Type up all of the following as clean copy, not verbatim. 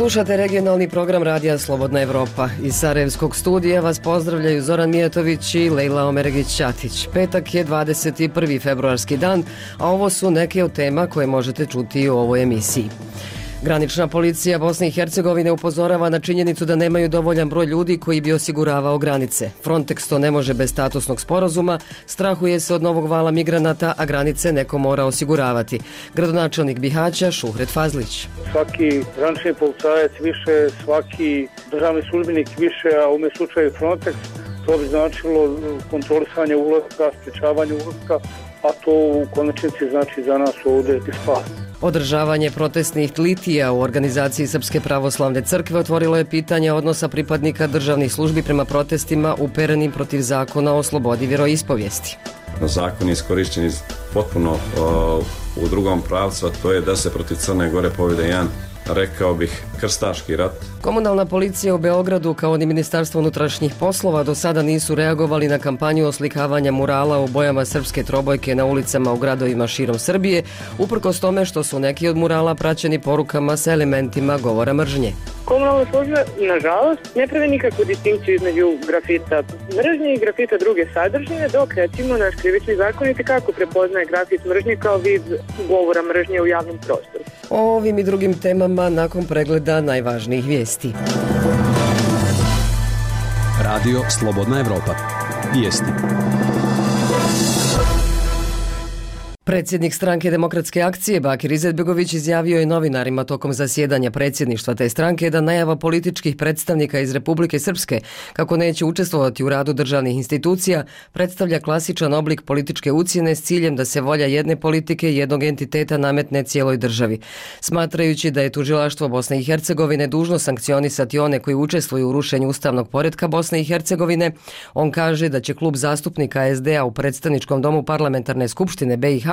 Slušate regionalni program Radija Slobodna Evropa. Iz Sarajevskog studija vas pozdravljaju Zoran Mijatović i Lejla Omeregić-Ćatić. Petak je 21. februarski dan, a ovo su neke od tema koje možete čuti u ovoj emisiji. Granična policija Bosne i Hercegovine upozorava na činjenicu da nemaju dovoljan broj ljudi koji bi osiguravao granice. Frontex to ne može bez statusnog sporazuma, strahuje se od novog vala migranata, a granice neko mora osiguravati. Gradonačelnik Bihaća Šuhret Fazlić. Svaki granični policajac više, svaki državni službenik više, a u ovom slučaju Frontex, to bi značilo kontrolisanje ulaska, sprečavanje ulaska, a to u konačnici znači za nas ovdje i spas. Održavanje protestnih litija u organizaciji Srpske pravoslavne crkve otvorilo je pitanje odnosa pripadnika državnih službi prema protestima uperenim protiv zakona o slobodi vjeroispovijesti. Zakon je iskorišćen potpuno u drugom pravcu, a to je da se protiv Crne Gore povede jedan, rekao bih, krstaški rat. Komunalna policija u Beogradu kao ni Ministarstvo unutrašnjih poslova do sada nisu reagovali na kampanju oslikavanja murala u bojama srpske trobojke na ulicama u gradovima širom Srbije, uprkos tome što su neki od murala praćeni porukama sa elementima govora mržnje. Komunalna služba, nažalost, ne pravi nikakvu distinkciju između grafita mržnje i grafita druge sadržine, dok recimo naš krivični zakon kako prepoznaje grafit mržnje kao vid govora mržnje u javnom prostoru. O ovim i drugim temama nakon pregleda najvažnijih vijesti. Radio Slobodna Evropa. Vijesti. Predsjednik stranke Demokratske akcije Bakir Izetbegović izjavio je novinarima tokom zasjedanja predsjedništva te stranke da najava političkih predstavnika iz Republike Srpske kako neće učestvovati u radu državnih institucija predstavlja klasičan oblik političke ucjene s ciljem da se volja jedne politike i jednog entiteta nametne cijeloj državi. Smatrajući da je tužilaštvo Bosne i Hercegovine dužno sankcionisati one koji učestvuju u rušenju ustavnog poretka Bosne i Hercegovine, on kaže da će klub zastupnika SD-a u predstavničkom domu parlamentarne skupštine BiH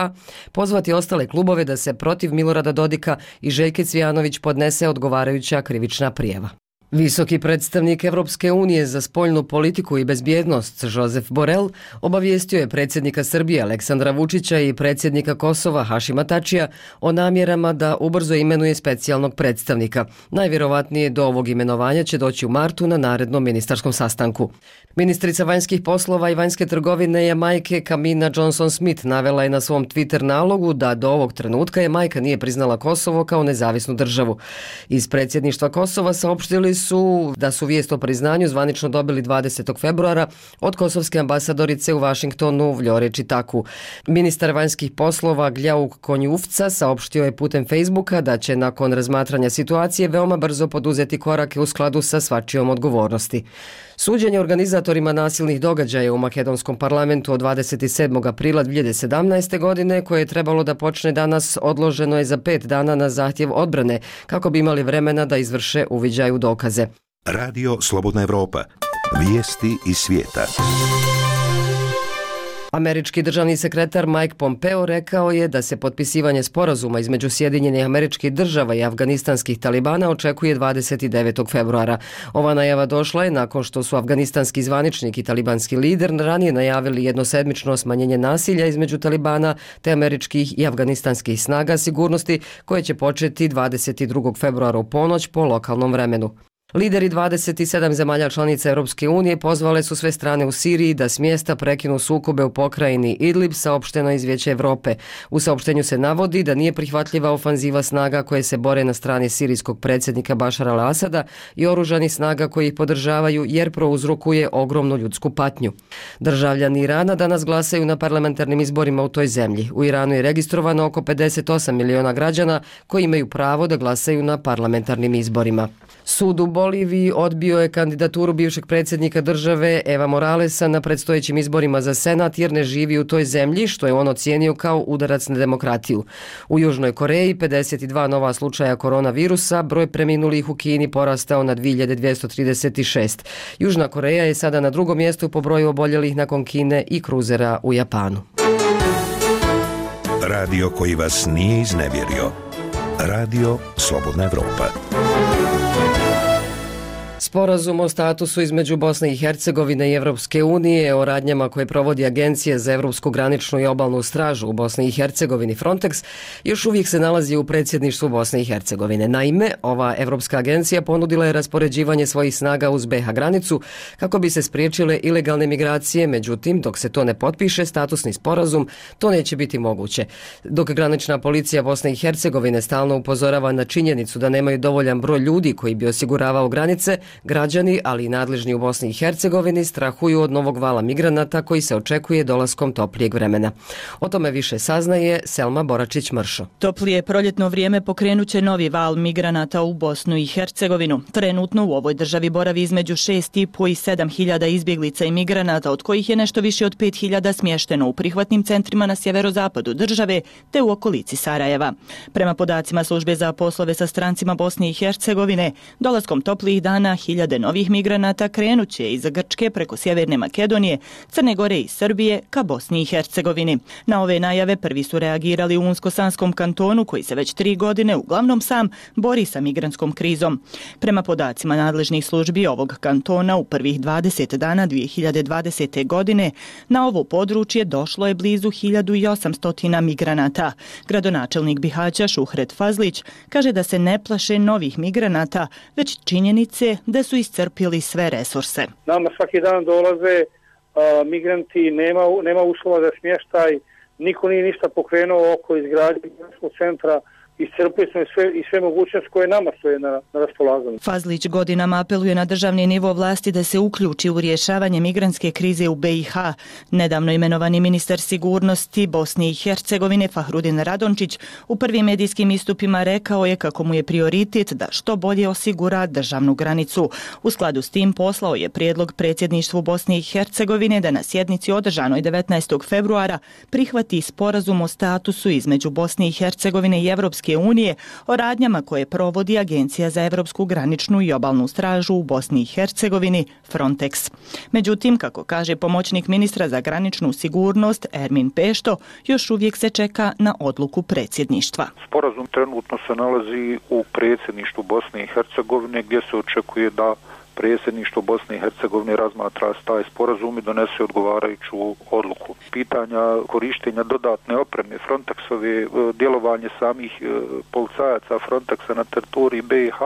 pozvati ostale klubove da se protiv Milorada Dodika i Željke Cvijanović podnese odgovarajuća krivična prijava. Visoki predstavnik Evropske unije za spoljnu politiku i bezbjednost Josep Borrell obavijestio je predsjednika Srbije Aleksandra Vučića i predsjednika Kosova Hašima Tačija o namjerama da ubrzo imenuje specijalnog predstavnika. Najvjerovatnije do ovog imenovanja će doći u martu na narednom ministarskom sastanku. Ministrica vanjskih poslova i vanjske trgovine Jamajke Kamina Johnson-Smith navela je na svom Twitter nalogu da do ovog trenutka Jamajka nije priznala Kosovo kao nezavisnu državu. Iz predsjedništva Kosova saopštili su da su vijest o priznanju zvanično dobili 20. februara od kosovske ambasadorice u Vašingtonu Vljore Čitaku. Ministar vanjskih poslova Gljauk Konjufca saopštio je putem Facebooka da će nakon razmatranja situacije veoma brzo poduzeti korake u skladu sa svačijom odgovornosti. Suđenje organizatorima nasilnih događaja u makedonskom parlamentu od 27. aprila 2017. godine, koje je trebalo da počne danas, odloženo je za 5 dana na zahtjev odbrane, kako bi imali vremena da izvrše uviđaj u dokaze. Radio Slobodna Evropa. Vijesti iz svijeta. Američki državni sekretar Mike Pompeo rekao je da se potpisivanje sporazuma između Sjedinjenih Američkih Država i afganistanskih talibana očekuje 29. februara. Ova najava došla je nakon što su afganistanski zvaničnik i talibanski lider ranije najavili jednosedmično smanjenje nasilja između talibana te američkih i afganistanskih snaga sigurnosti koje će početi 22. februara u ponoć po lokalnom vremenu. Lideri 27 zemalja članica Europske unije pozvale su sve strane u Siriji da s mjesta prekinu sukobe u pokrajini Idlib, saopšteno iz Vijeća Evrope. U saopštenju se navodi da nije prihvatljiva ofanziva snaga koje se bore na strani sirijskog predsjednika Bašara al-Asada i oružanih snaga koji ih podržavaju jer prouzrokuje ogromnu ljudsku patnju. Državljani Irana danas glasaju na parlamentarnim izborima u toj zemlji. U Iranu je registrovano oko 58 miliona građana koji imaju pravo da glasaju na parlamentarnim izborima. Sud u Boliviji odbio je kandidaturu bivšeg predsjednika države Eva Moralesa na predstojećim izborima za Senat jer ne živi u toj zemlji, što je on ocijenio kao udarac na demokratiju. U Južnoj Koreji 52 nova slučaja koronavirusa, broj preminulih u Kini porastao na 2236. Južna Koreja je sada na drugom mjestu po broju oboljelih nakon Kine i kruzera u Japanu. Radio koji vas nije iznevjerio. Radio Slobodna Evropa. Sporazum o statusu između Bosne i Hercegovine i Evropske unije o radnjama koje provodi Agencija za Evropsku graničnu i obalnu stražu u Bosni i Hercegovini Frontex još uvijek se nalazi u predsjedništvu Bosne i Hercegovine. Naime, ova Evropska agencija ponudila je raspoređivanje svojih snaga uz BiH granicu kako bi se spriječile ilegalne migracije, međutim, dok se to ne potpiše statusni sporazum, to neće biti moguće. Dok granična policija Bosne i Hercegovine stalno upozorava na činjenicu da nemaju dovoljan broj ljudi koji bi osiguravao granice, građani, ali i nadležni u Bosni i Hercegovini strahuju od novog vala migranata koji se očekuje dolaskom toplijeg vremena. O tome više saznaje Selma Boračić-Mršo. Toplije proljetno vrijeme pokrenuće novi val migranata u Bosnu i Hercegovinu. Trenutno u ovoj državi boravi između 6.500 i 7.000 izbjeglica i migranata, od kojih je nešto više od 5.000 smješteno u prihvatnim centrima na sjeverozapadu države te u okolici Sarajeva. Prema podacima Službe za poslove sa strancima Bosne i Hercegovine, dolaskom toplijih dana hiljade novih migranata krenuće iz Grčke preko Sjeverne Makedonije, Crne Gore i Srbije ka Bosni i Hercegovini. Na ove najave prvi su reagirali u Unsko-Sanskom kantonu koji se već 3 godine uglavnom sam bori sa migrantskom krizom. Prema podacima nadležnih službi ovog kantona u prvih 20 dana 2020. godine na ovo područje došlo je blizu 1800 migranata. Gradonačelnik Bihaća Šuhret Fazlić kaže da se ne plaše novih migranata, već činjenice da su iscrpili sve resurse. Nama svaki dan dolaze migranti, nema uslova za smještaj, niko nije ništa pokrenuo oko izgradnje migranskog centra. Iscrpili smo i sve mogućnosti koje nama stoje na raspolaganju. Fazlić godinama apeluje na državni nivo vlasti da se uključi u rješavanje migrantske krize u BiH. Nedavno imenovani ministar sigurnosti Bosne i Hercegovine Fahrudin Radončić u prvim medijskim istupima rekao je kako mu je prioritet da što bolje osigura državnu granicu. U skladu s tim poslao je prijedlog predsjedništvu Bosne i Hercegovine da na sjednici održanoj 19. februara prihvati sporazum o statusu između Bosne i Hercegovine i Evropske unije o radnjama koje provodi Agencija za Evropsku graničnu i obalnu stražu u Bosni i Hercegovini Frontex. Međutim, kako kaže pomoćnik ministra za graničnu sigurnost Ermin Pešto, još uvijek se čeka na odluku predsjedništva. Sporazum trenutno se nalazi u predsjedništvu Bosne i Hercegovine gdje se očekuje da predsjedništvo Bosne i Hercegovine razmatra taj sporazum i donese odgovarajuću odluku. Pitanja korištenja dodatne opreme Frontexove, djelovanje samih policajaca Frontexa na teritoriji BiH,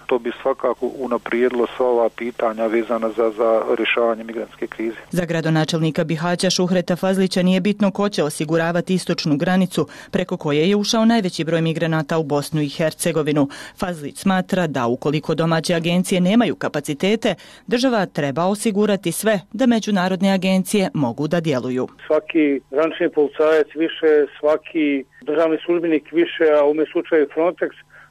to bi svakako unaprijedilo sva ova pitanja vezana za rješavanje migrantske krize. Za gradonačelnika Bihaća Šuhreta Fazlića nije bitno ko će osiguravati istočnu granicu preko koje je ušao najveći broj migranata u Bosnu i Hercegovinu. Fazlić smatra da ukoliko domaće agencije nemaju kapacitete, država treba osigurati sve da međunarodne agencije mogu da djeluju. Svaki granični policajac više, svaki državni službenik više, a u ovom slučaju Frontex,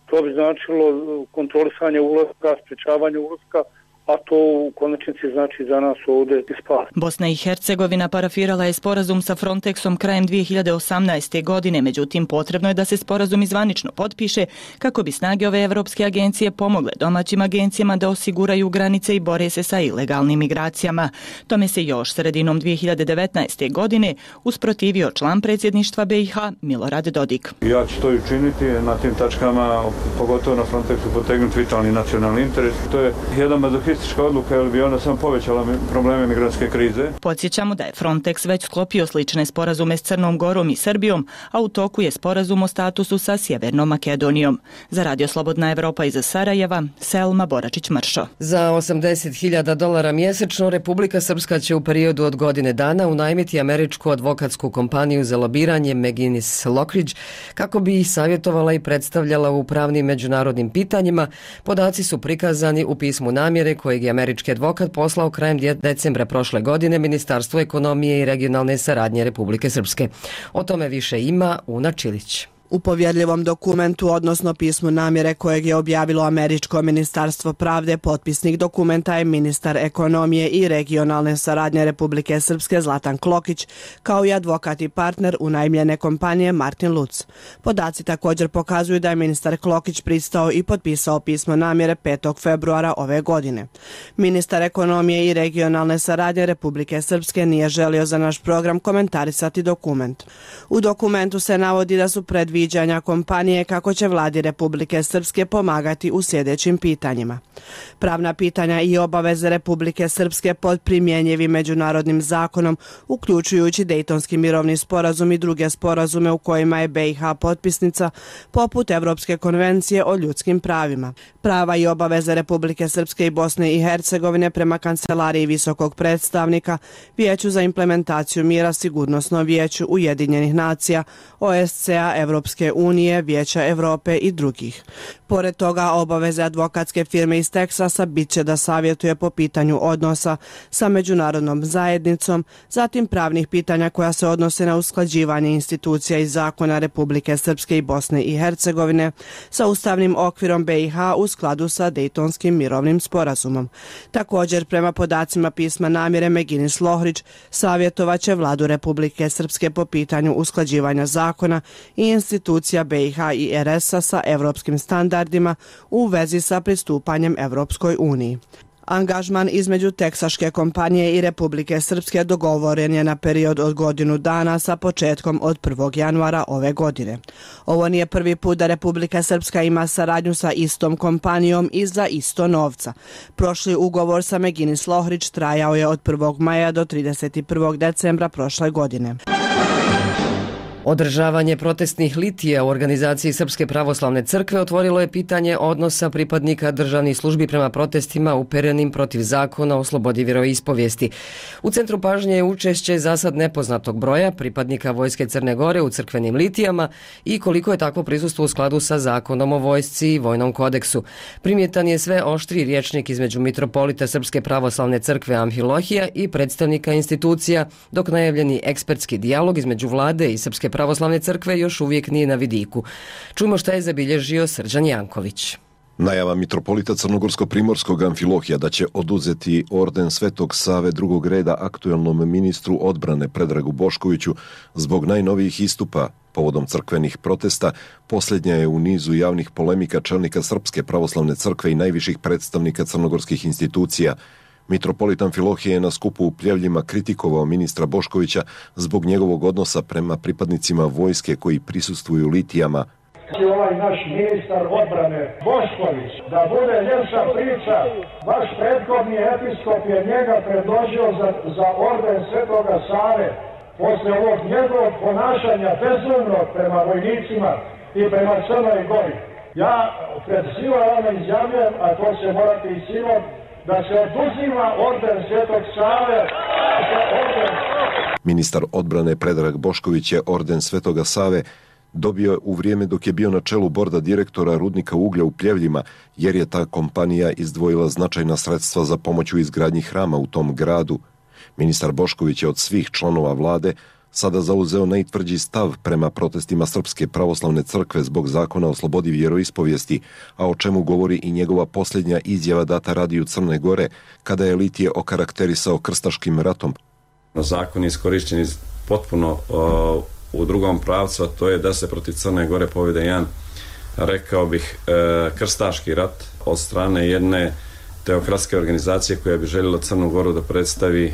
to bi značilo kontrolisanje ulaska, sprječavanje ulaska, a to u konačnici znači za nas ovdje i spas. Bosna i Hercegovina parafirala je sporazum sa Frontexom krajem 2018. godine, međutim potrebno je da se sporazum zvanično potpiše kako bi snage ove evropske agencije pomogle domaćim agencijama da osiguraju granice i bore se sa ilegalnim migracijama. Tome se još sredinom 2019. godine usprotivio član predsjedništva BiH Milorad Dodik. Ja ću to i učiniti na tim tačkama, pogotovo na Frontexu potegnuti vitalni nacionalni interes. To je jedan mazohistička odluka, jer bi ona samo povećala probleme migrantske krize. Podsjećamo da je Frontex već sklopio slične sporazume s Crnom Gorom i Srbijom, a u toku je sporazum o statusu sa Sjevernom Makedonijom. Za Radio Slobodna Evropa iz Sarajeva, Selma Boračić-Mršo. Za $80.000 mjesečno Republika Srpska će u periodu od godine dana unajmiti američku advokatsku kompaniju za lobiranje McGinnis Lockridge kako bi ih savjetovala i predstavljala u pravnim međunarodnim pitanjima. Podaci su prikazani u pismu namjere kojeg je američki advokat poslao krajem decembra prošle godine Ministarstvu ekonomije i regionalne saradnje Republike Srpske. O tome više ima Una Čilić. U povjerljivom dokumentu, odnosno pismu namjere kojeg je objavilo Američko ministarstvo pravde, potpisnik dokumenta je ministar ekonomije i regionalne saradnje Republike Srpske Zlatan Klokić, kao i advokat i partner unajmljene kompanije Martin Luc. Podaci također pokazuju da je ministar Klokić pristao i potpisao pismo namjere 5. februara ove godine. Ministar ekonomije i regionalne saradnje Republike Srpske nije želio za naš program komentarisati dokument. U dokumentu se navodi da su predviđeni viđanja kompanije kako će vladi Republike Srpske pomagati u sljedećim pitanjima. Pravna pitanja i obaveze Republike Srpske pod primjenjivim međunarodnim zakonom, uključujući Dejtonski mirovni sporazum i druge sporazume u kojima je BiH potpisnica, poput Evropske konvencije o ljudskim pravima. Prava i obaveze Republike Srpske i Bosne i Hercegovine prema Kancelariji visokog predstavnika, Vijeću za implementaciju mira, Sigurnosnom vijeću Ujedinjenih nacija, OSCE-a, Evropske unije, Vijeća Evrope i drugih. Pored toga, obaveze advokatske firme iz Teksasa bit će da savjetuje po pitanju odnosa sa međunarodnom zajednicom, zatim pravnih pitanja koja se odnose na usklađivanje institucija i zakona Republike Srpske i Bosne i Hercegovine sa ustavnim okvirom BiH u skladu sa Dejtonskim mirovnim sporazumom. Također, prema podacima pisma namjere, Meginis Lohrić savjetovaće vladu Republike Srpske po pitanju usklađivanja zakona i institucija BiH i RS-a sa evropskim standardima u vezi sa pristupanjem Evropskoj uniji. Angažman između teksaške kompanije i Republike Srpske dogovoren je na period od godinu dana sa početkom od 1. januara ove godine. Ovo nije prvi put da Republika Srpska ima saradnju sa istom kompanijom i za isto novca. Prošli ugovor sa Meginis Lohrić trajao je od 1. maja do 31. decembra prošle godine. Održavanje protestnih litija u organizaciji Srpske pravoslavne crkve otvorilo je pitanje odnosa pripadnika državnih službi prema protestima uperenim protiv zakona o slobodi vjeroispovijesti. U centru pažnje je učešće zasad nepoznatog broja pripadnika Vojske Crne Gore u crkvenim litijama i koliko je takvo prisustvo u skladu sa zakonom o vojsci i vojnom kodeksu. Primjetan je sve oštri rječnik između mitropolita Srpske pravoslavne crkve Amfilohija i predstavnika institucija, dok najavljeni ekspertski dijalog između vlade i Srpske pravoslavne crkve još uvijek nije na vidiku. Čujmo šta je zabilježio Srđan Janković. Najava mitropolita Crnogorsko-primorskog Amfilohija da će oduzeti orden Svetog Save drugog reda aktuelnom ministru odbrane Predragu Boškoviću zbog najnovijih istupa povodom crkvenih protesta posljednja je u nizu javnih polemika čelnika Srpske pravoslavne crkve i najviših predstavnika crnogorskih institucija. Mitropolit Amfilohije je na skupu u Pljevljima kritikovao ministra Boškovića zbog njegovog odnosa prema pripadnicima vojske koji prisustvuju litijama. Ovaj naš ministar odbrane Bošković, da bude ljepša priča, vaš prethodni episkop je njega predložio za orden Svetoga Save posle ovog njegovog ponašanja bezumnog prema vojnicima i prema Crnoj Gori. Ja pred svima vama izjavljujem, a to će morati i sinom, da se oduzima orden Svetog Save. Ministar odbrane Predrag Bošković je orden Svetoga Save dobio u vrijeme dok je bio na čelu borda direktora rudnika uglja u Pljevljima, jer je ta kompanija izdvojila značajna sredstva za pomoć u izgradnji hrama u tom gradu. Ministar Bošković je od svih članova vlade sada zauzeo najtvrđi stav prema protestima Srpske pravoslavne crkve zbog zakona o slobodi vjeroispovijesti, a o čemu govori i njegova posljednja izjava data Radiju Crne Gore, kada je litije okarakterisao krstaškim ratom. Zakon je iskorišćen potpuno u drugom pravcu, a to je da se protiv Crne Gore povede jedan, rekao bih, krstaški rat od strane jedne teokratske organizacije koja bi željela Crnu Goru da predstavi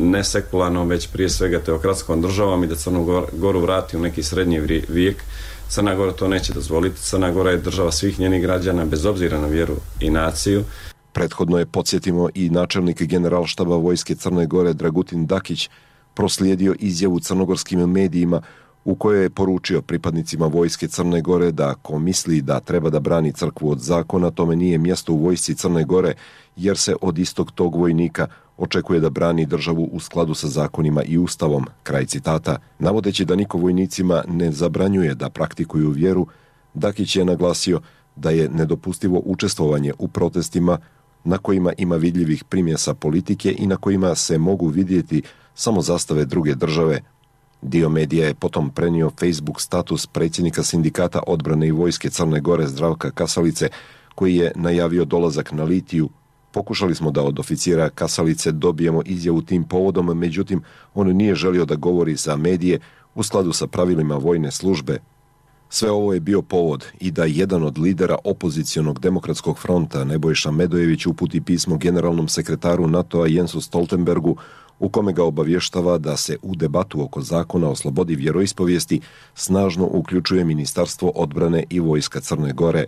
ne sekularnom, već prije svega teokratskom državom i da Crnu Goru vrati u neki srednji vijek. Crna Gora to neće dozvoliti. Crna Gora je država svih njenih građana bez obzira na vjeru i naciju. Prethodno je, podsjetimo, i načelnik generalštaba Vojske Crne Gore Dragutin Dakić proslijedio izjavu crnogorskim medijima u kojoj je poručio pripadnicima Vojske Crne Gore da ako misli da treba da brani crkvu od zakona, tome nije mjesto u Vojsci Crne Gore, jer se od istog tog vojnika očekuje da brani državu u skladu sa zakonima i ustavom. Kraj citata. Navodeći da niko vojnicima ne zabranjuje da praktikuju vjeru, Dakić je naglasio da je nedopustivo učestvovanje u protestima na kojima ima vidljivih primjesa politike i na kojima se mogu vidjeti samo zastave druge države. Dio medija je potom prenio Facebook status predsjednika sindikata odbrane i vojske Crne Gore Zdravka Kasalice, koji je najavio dolazak na litiju. Pokušali smo da od oficira Kasalice dobijemo izjavu tim povodom, međutim, on nije želio da govori za medije u skladu sa pravilima vojne službe. Sve ovo je bio povod i da jedan od lidera opozicionog demokratskog fronta, Nebojša Medojević, uputi pismo generalnom sekretaru NATO-a Jensu Stoltenbergu u kome ga obavještava da se u debatu oko zakona o slobodi vjeroispovijesti snažno uključuje Ministarstvo odbrane i Vojska Crne Gore.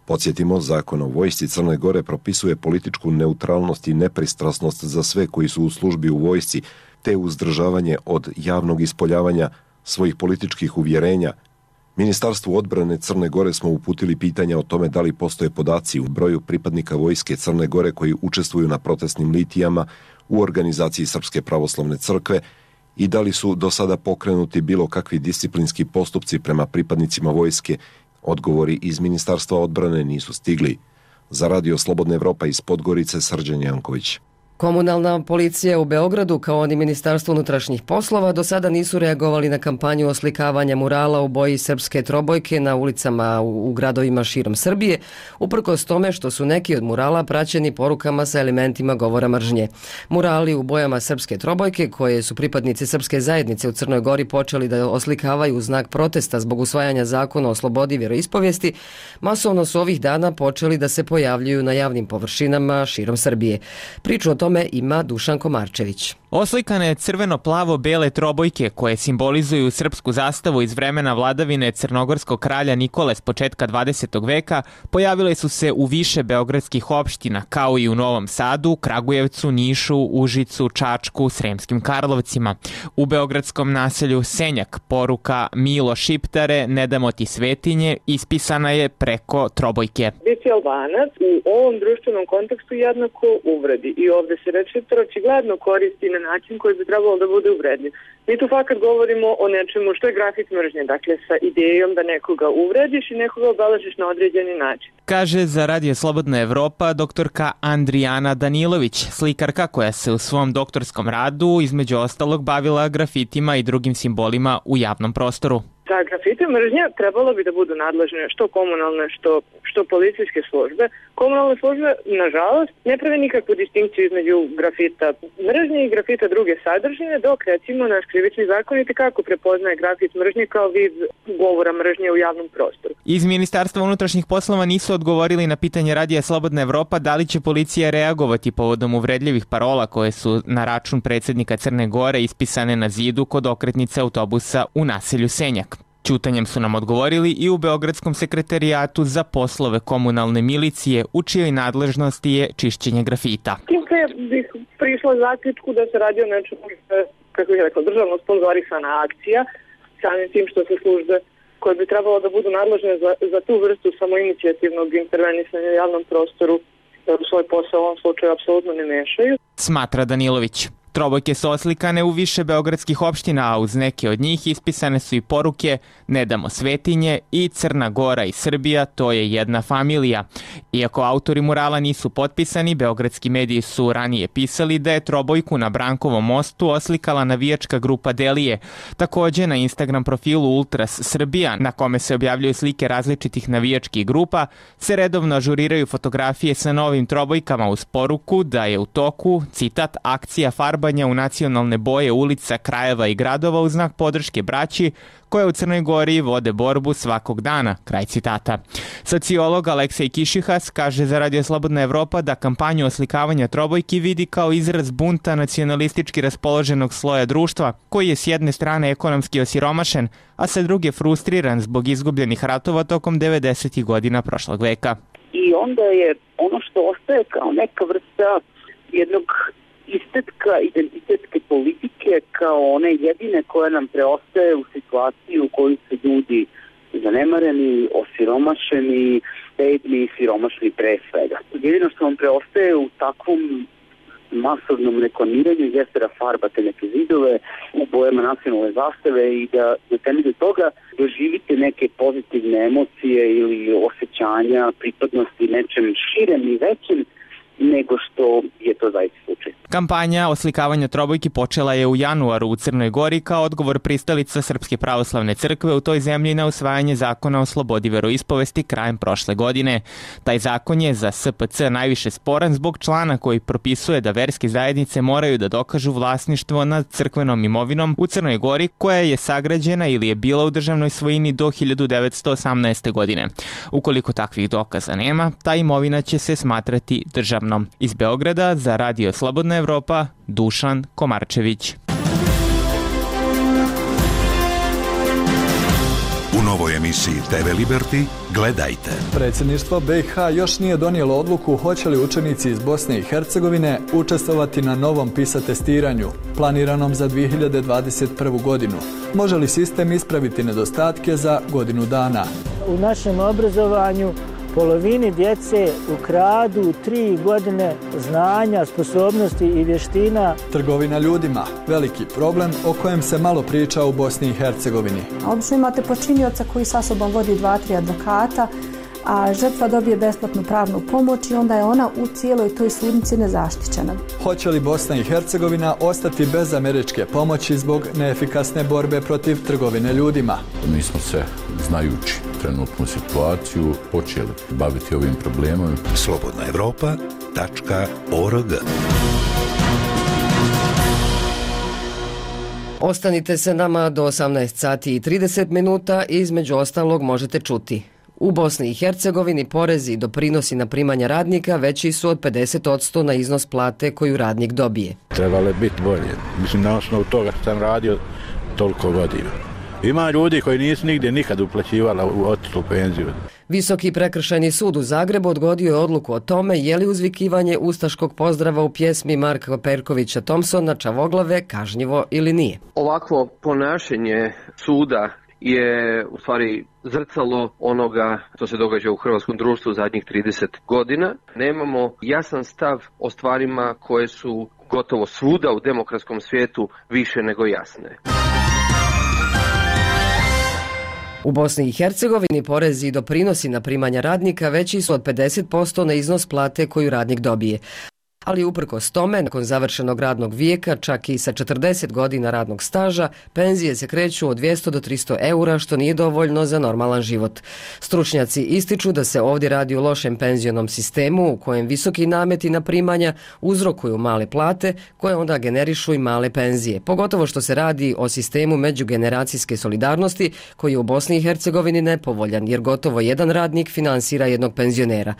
Podsjetimo, Zakon o vojsci Crne Gore propisuje političku neutralnost i nepristrasnost za sve koji su u službi u vojsci, te uzdržavanje od javnog ispoljavanja svojih političkih uvjerenja. Ministarstvu odbrane Crne Gore smo uputili pitanja o tome da li postoje podaci u broju pripadnika vojske Crne Gore koji učestvuju na protestnim litijama u organizaciji Srpske pravoslavne crkve i da li su do sada pokrenuti bilo kakvi disciplinski postupci prema pripadnicima vojske. Odgovori iz Ministarstva odbrane nisu stigli. Za Radio Slobodna Evropa iz Podgorice, Srđan Janković. Komunalna policija u Beogradu kao ni Ministarstvo unutrašnjih poslova do sada nisu reagovali na kampanju oslikavanja murala u boji srpske trobojke na ulicama u gradovima širom Srbije, uprkos tome što su neki od murala praćeni porukama sa elementima govora mržnje. Murali u bojama srpske trobojke, koje su pripadnici srpske zajednice u Crnoj Gori počeli da oslikavaju u znak protesta zbog usvajanja zakona o slobodi vjeroispovijesti, masovno su ovih dana počeli da se pojavljuju na javnim površinama širom Srbije. Priču o tome ima Dušan Komarčević. Oslikane crveno-plavo-bele trobojke koje simbolizuju srpsku zastavu iz vremena vladavine crnogorskog kralja Nikole s početka 20. veka pojavile su se u više beogradskih opština, kao i u Novom Sadu, Kragujevcu, Nišu, Užicu, Čačku, Sremskim Karlovcima. U beogradskom naselju Senjak poruka Milo Šiptare, ne damo ti svetinje, ispisana je preko trobojke. Biti Albanac u ovom društvenom kontekstu jednako uvredi i ovdje se reč Šiptar očigledno koristi na način koji bi trebalo da bude uvredljiv. Mi tu fakat govorimo o nečemu što je grafit mržnje, dakle sa idejom da nekoga uvrediš i nekoga obeležiš na određeni način. Kaže za Radio Slobodna Evropa doktorka Andrijana Danilović, slikarka koja se u svom doktorskom radu između ostalog bavila grafitima i drugim simbolima u javnom prostoru. Za grafite mržnje trebalo bi da budu nadležne što komunalne, što policijske službe. Komunalne službe, nažalost, ne prave nikakvu distinkciju između grafita mržnje i grafita druge sadržine, dok recimo naš krivični zakonik kako prepoznaje grafit mržnje kao vid govora mržnje u javnom prostoru. Iz Ministarstva unutrašnjih poslova nisu odgovorili na pitanje Radija Slobodna Evropa da li će policija reagovati povodom uvredljivih parola koje su na račun predsjednika Crne Gore ispisane na zidu kod okretnice autobusa u naselju Senjak. Ćutanjem su nam odgovorili i u Beogradskom sekretarijatu za poslove komunalne milicije, u čijoj nadležnosti je čišćenje grafita. Tim bih prišla zaključku da se radi o nečemu, kako bih rekla, državno sponzorisana akcija, samim tim što se službe koje bi trebalo da budu nadležne za tu vrstu samoinicijativnog intervenisanja u javnom prostoru u svoj posao u ovom slučaju apsolutno ne mešaju. Smatra Danilović. Trobojke su oslikane u više beogradskih opština, a uz neke od njih ispisane su i poruke Ne damo svetinje i Crna Gora i Srbija, to je jedna familija. Iako autori murala nisu potpisani, beogradski mediji su ranije pisali da je trobojku na Brankovom mostu oslikala navijačka grupa Delije. Također na Instagram profilu Ultras Srbija, na kome se objavljuju slike različitih navijačkih grupa, se redovno ažuriraju fotografije sa novim trobojkama uz poruku da je u toku, citat, akcija farbanja u nacionalne boje ulica, krajeva i gradova u znak podrške braći koje u Crnoj Gori vode borbu svakog dana, kraj citata. Sociolog Aleksej Kišihas kaže za Radio Slobodna Evropa da kampanju oslikavanja trobojki vidi kao izraz bunta nacionalistički raspoloženog sloja društva, koji je s jedne strane ekonomski osiromašen, a sa druge frustriran zbog izgubljenih ratova tokom 90. godina prošlog veka. I onda je ono što ostaje kao neka vrsta jednog estetka, identitetske politike kao one jedine koje nam preostaje u situaciji u kojoj se ljudi zanemareni, osiromašeni, bedni i siromašni pre svega. Jedino što vam preostaje u takvom masovnom reklamiranju jeste da farbate neke zidove u bojama nacionalne zastave i da na temelju toga doživite neke pozitivne emocije ili osjećanja pripadnosti nečem širem i većem nego što je to zaista slučaj. Kampanja oslikavanja trobojki počela je u januaru u Crnoj Gori kao odgovor pristalica Srpske pravoslavne crkve u toj zemlji na usvajanje zakona o slobodi veroispovesti krajem prošle godine. Taj zakon je za SPC najviše sporan zbog člana koji propisuje da verske zajednice moraju da dokažu vlasništvo nad crkvenom imovinom u Crnoj Gori koja je sagrađena ili je bila u državnoj svojini do 1918. godine. Ukoliko takvih dokaza nema, ta imovina će se smatrati državnom. Iz Beograda za Radio Slobodna Slobodna Evropa, Dušan Komarčević. U novoj emisiji TV Liberty gledajte. Predsjedništvo BiH još nije donijelo odluku hoće li učenici iz Bosne i Hercegovine učestvovati na novom PISA testiranju, planiranom za 2021. godinu. Može li sistem ispraviti nedostatke za godinu dana? U našem obrazovanju polovini djece ukradu 3 godine znanja, sposobnosti i vještina. Trgovina ljudima, veliki problem o kojem se malo priča u Bosni i Hercegovini. Obično imate počinioca koji sa sobom vodi 2-3 advokata, a žrtva dobije besplatnu pravnu pomoć i onda je ona u cijeloj toj sudnici nezaštićena. Hoće li Bosna i Hercegovina ostati bez američke pomoći zbog neefikasne borbe protiv trgovine ljudima? Mi smo se, znajući trenutnu situaciju, počeli baviti ovim problemom. slobodnaevropa.org. Ostanite se nama do 18 sati i 30 minuta i između ostalog možete čuti. U Bosni i Hercegovini porezi i doprinosi na primanja radnika veći su od 50% na iznos plate koju radnik dobije. Trebalo je biti bolje. Mislim, na osnovu toga što sam radio toliko godina. Ima ljudi koji nisu nigdje nikad uplaćivala u otišlu penziju. Visoki prekršajni sud u Zagrebu odgodio je odluku o tome je li uzvikivanje ustaškog pozdrava u pjesmi Marka Perkovića Thompsona Čavoglave kažnjivo ili nije. Ovakvo ponašanje suda je u stvari zrcalo onoga što se događa u hrvatskom društvu zadnjih 30 godina. Nemamo jasan stav o stvarima koje su gotovo svuda u demokratskom svijetu više nego jasne. U Bosni i Hercegovini porezi i doprinosi na primanja radnika veći su od 50% na iznos plate koju radnik dobije. Ali uprkos tome, nakon završenog radnog vijeka, čak i sa 40 godina radnog staža, penzije se kreću od 200 do 300 eura, što nije dovoljno za normalan život. Stručnjaci ističu da se ovdje radi o lošem penzionom sistemu u kojem visoki nameti na primanja uzrokuju male plate koje onda generišu i male penzije. Pogotovo što se radi o sistemu međugeneracijske solidarnosti koji je u Bosni i Hercegovini nepovoljan jer gotovo jedan radnik finansira jednog penzionera.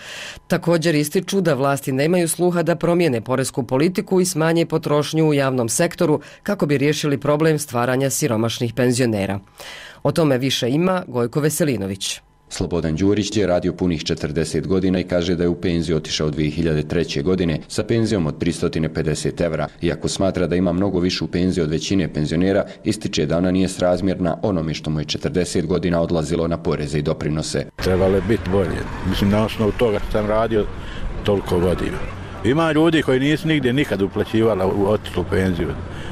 Također ističu da vlasti nemaju sluha da promijene poresku politiku i smanje potrošnju u javnom sektoru kako bi riješili problem stvaranja siromašnih penzionera. O tome više ima Gojko Veselinović. Slobodan Đurić je radio punih 40 godina i kaže da je u penziju otišao 2003. godine sa penzijom od 350 evra. Iako smatra da ima mnogo višu penziju od većine penzionera, ističe da ona nije srazmjerna onome što mu je 40 godina odlazilo na poreze i doprinose. Trebalo je biti bolje. Mislim, na osnovu toga što sam radio toliko godina. Ima ljudi koji nisu nigdje nikad uplaćivala u otišlu penziju.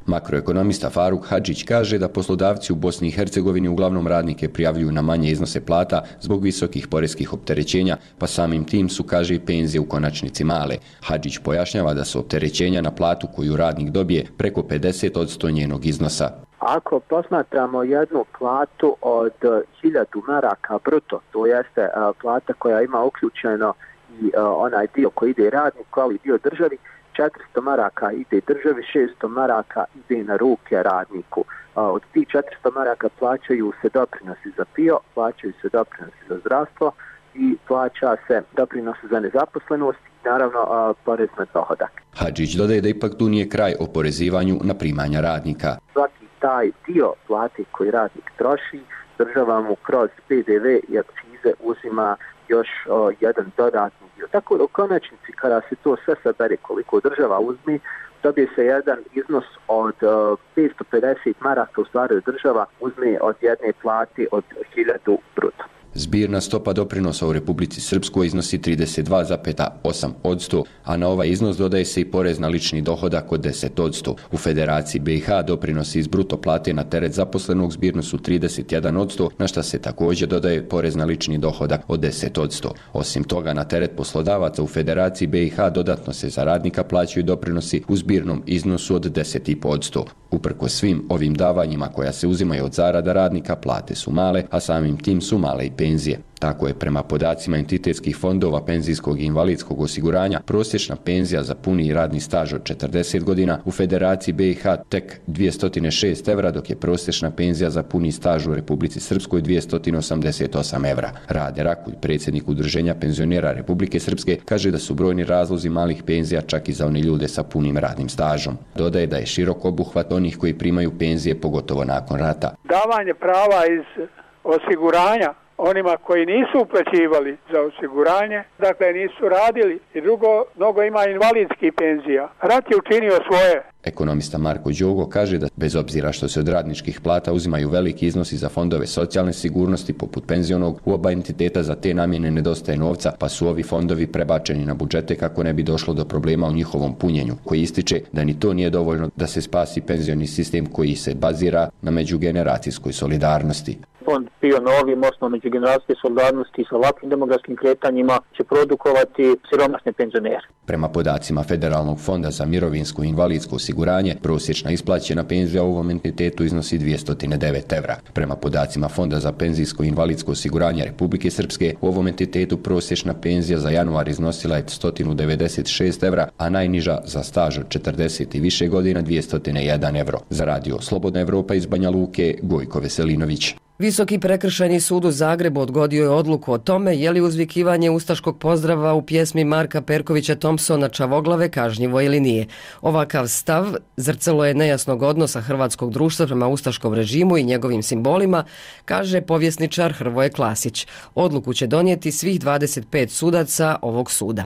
Makroekonomista Faruk Hadžić kaže da poslodavci u Bosni i Hercegovini uglavnom radnike prijavljuju na manje iznose plata zbog visokih poreskih opterećenja, pa samim tim su, kaže, i penzije u konačnici male. Hadžić pojašnjava da su opterećenja na platu koju radnik dobije preko 50% njenog iznosa. Ako posmatramo jednu platu od 1000 maraka bruto, to jeste plata koja ima uključeno i onaj dio koji ide radniku, ali dio državi, 400 maraka ide državi, 600 maraka ide na ruke radniku. Od tih 400 maraka plaćaju se doprinosi za PIO, plaćaju se doprinosi za zdravstvo i plaća se doprinosi za nezaposlenost i naravno porez na dohodak. Hadžić dodaje da ipak tu nije kraj oporezivanju na primanja radnika. Svaki taj dio plate koji radnik troši, država mu kroz PDV i akcize uzima još jedan dodatni dio. Tako da u konačnici kada se to sve sabere koliko država uzme, dobije se jedan iznos od 550 maraka, u stvari država uzme od jedne plate od 1000 bruto. Zbirna stopa doprinosa u Republici Srpskoj iznosi 32,8%, a na ovaj iznos dodaje se i porez na lični dohodak od 10%. U Federaciji BiH doprinosi iz bruto plate na teret zaposlenog zbirno su 31%, na šta se također dodaje porez na lični dohodak od 10%. Osim toga, na teret poslodavaca u Federaciji BiH dodatno se za radnika plaćaju doprinosi u zbirnom iznosu od 10,5%. Uprko svim ovim davanjima koja se uzimaju od zarada radnika, plate su male, a samim tim su male i penzije. penzije. Tako je prema podacima entitetskih fondova penzijskog i invalidskog osiguranja prosječna penzija za puni radni staž od 40 godina u Federaciji BiH tek 206 evra, dok je prosječna penzija za puni staž u Republici Srpskoj 288 evra. Rade Rakulj, predsjednik Udruženja penzionera Republike Srpske, kaže da su brojni razlozi malih penzija čak i za one ljude sa punim radnim stažom. Dodaje da je širok obuhvat onih koji primaju penzije, pogotovo nakon rata. Davanje prava iz osiguranja onima koji nisu uplaćivali za osiguranje, dakle nisu radili, i drugo, mnogo ima invalidskih penzija. Rat je učinio svoje. Ekonomista Marko Đogo kaže da bez obzira što se od radničkih plata uzimaju veliki iznosi za fondove socijalne sigurnosti poput penzionog, u oba entiteta za te namjene nedostaje novca, pa su ovi fondovi prebačeni na budžete kako ne bi došlo do problema u njihovom punjenju, koji ističe da ni to nije dovoljno da se spasi penzioni sistem koji se bazira na međugeneracijskoj solidarnosti. Fond bio na ovim osnovom međugeneracijske solidarnosti sa ovakvim demografskim kretanjima će produkovati siromašne penzionere. Prema podacima Federalnog fonda za mirovinsko i invalidsko osiguranje, prosječna isplaćena penzija u ovom entitetu iznosi 209 evra. Prema podacima Fonda za penzijsko i invalidsko osiguranje Republike Srpske, u ovom entitetu prosječna penzija za januar iznosila je 196 evra, a najniža za staž od 40 i više godina 201 evro. Za radio Slobodna Evropa iz Banja Luke, Gojko Veselinović. Visoki prekršajni sud u Zagrebu odgodio je odluku o tome je li uzvikivanje ustaškog pozdrava u pjesmi Marka Perkovića Thompsona Čavoglave kažnjivo ili nije. Ovakav stav zrcalo je nejasnog odnosa hrvatskog društva prema ustaškom režimu i njegovim simbolima, kaže povjesničar Hrvoje Klasić. Odluku će donijeti svih 25 sudaca ovog suda.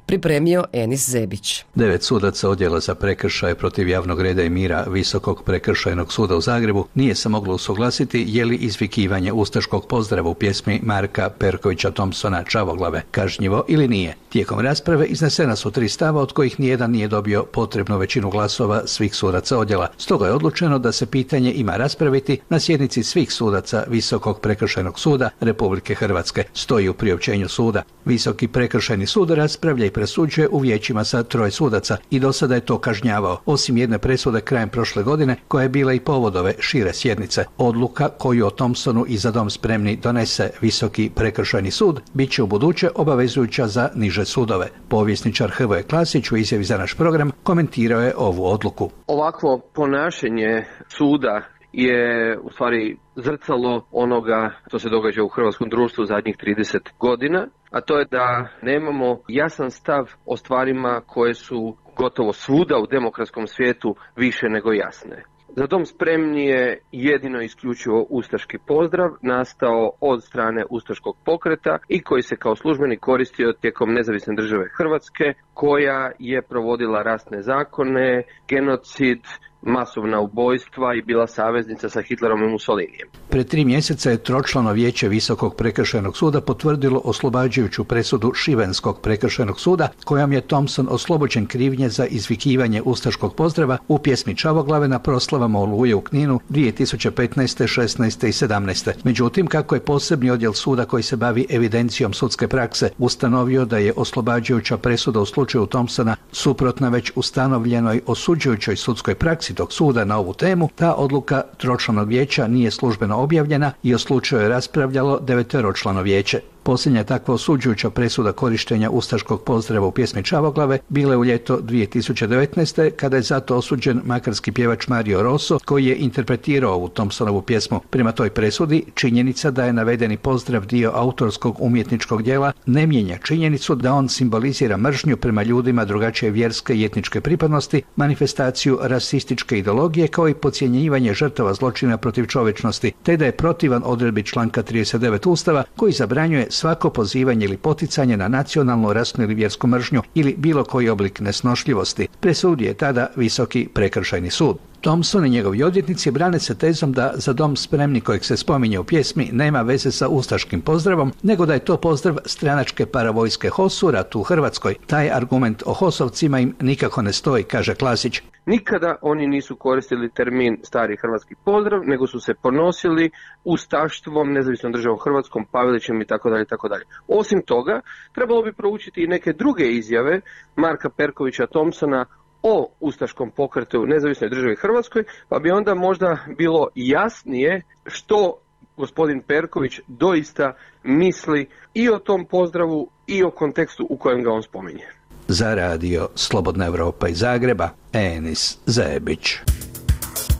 Pripremio Enis Zebić. 9 sudaca odjela za prekršaje protiv javnog reda i mira Visokog prekršajnog suda u Zagrebu nije se moglo usuglasiti je li izvikivanje ustaškog pozdrava u pjesmi Marka Perkovića Thompsona Čavoglave kažnjivo ili nije. Tijekom rasprave iznesena su 3 stava od kojih nijedan nije dobio potrebnu većinu glasova svih sudaca odjela. Stoga je odlučeno da se pitanje ima raspraviti na sjednici svih sudaca Visokog prekršajnog suda Republike Hrvatske, stoji u priopćenju suda. Visoki prekršajni sud raspravlja i presuđuje u vijećima sa 3 sudaca i do sada je to kažnjavao, osim jedne presude krajem prošle godine koja je bila i povod ove šire sjednice. Odluka koju o Thompsonu i Za dom spremni donese Visoki prekršajni sud bit će u buduće obavezujuća za niže sudove. Povjesničar Hrvoje Klasić u izjavi za naš program komentirao je ovu odluku. Ovakvo ponašanje suda je u stvari zrcalo onoga što se događa u hrvatskom društvu zadnjih 30 godina, a to je da nemamo jasan stav o stvarima koje su gotovo svuda u demokratskom svijetu više nego jasne. Za dom spremni je jedino isključivo ustaški pozdrav nastao od strane ustaškog pokreta i koji se kao službeni koristio tijekom nezavisne države Hrvatske, koja je provodila rasne zakone, genocid, masovna ubojstva i bila saveznica sa Hitlerom i Mussolinijem. Pred 3 mjeseca je tročlano vijeće Visokog prekršajnog suda potvrdilo oslobađajuću presudu Šibenskog prekršajnog suda kojom je Thompson oslobođen krivnje za izvikivanje ustaškog pozdrava u pjesmi Čavoglave na proslavama Oluje u Kninu 2015., 16. i 17. Međutim, kako je posebni odjel suda koji se bavi evidencijom sudske prakse ustanovio da je oslobađajuća presuda u slučaju Thompsona suprotna već ustanovljenoj osuđujućoj sudskoj praksi tog suda na ovu temu, ta odluka tročlanog vijeća nije službeno objavljena i o slučaju je raspravljalo 9-člano vijeće. Posljednja takva osuđujuća presuda korištenja ustaškog pozdrava u pjesmi Čavoglave bila je u ljeto 2019. kada je zato osuđen makarski pjevač Mario Rosso koji je interpretirao ovu Thompsonovu pjesmu. Prema toj presudi, činjenica da je navedeni pozdrav dio autorskog umjetničkog djela ne mijenja činjenicu da on simbolizira mržnju prema ljudima drugačije vjerske i etničke pripadnosti, manifestaciju rasističke ideologije kao i podcjenjivanje žrtava zločina protiv čovječnosti, te da je protivan odredbi članka 39 Ustava koji zabranjuje svako pozivanje ili poticanje na nacionalnu, rasnu ili vjersku mržnju ili bilo koji oblik nesnošljivosti, presudio je tada Visoki prekršajni sud. Thompson i njegovi odvjetnici brane se tezom da Za dom spremni kojeg se spominje u pjesmi nema veze sa ustaškim pozdravom, nego da je to pozdrav stranačke paravojske HOS u ratu u Hrvatskoj. Taj argument o HOS-ovcima im nikako ne stoji, kaže Klasić. Nikada oni nisu koristili termin stari hrvatski pozdrav, nego su se ponosili ustaštvom, nezavisnom državom Hrvatskom, Pavelićem itd. Osim toga, trebalo bi proučiti i neke druge izjave Marka Perkovića Thompsona o ustaškom pokretu nezavisnoj državi Hrvatskoj, pa bi onda možda bilo jasnije što gospodin Perković doista misli i o tom pozdravu i o kontekstu u kojem ga on spominje. Za radio Slobodna Evropa iz Zagreba, Enis Zebić.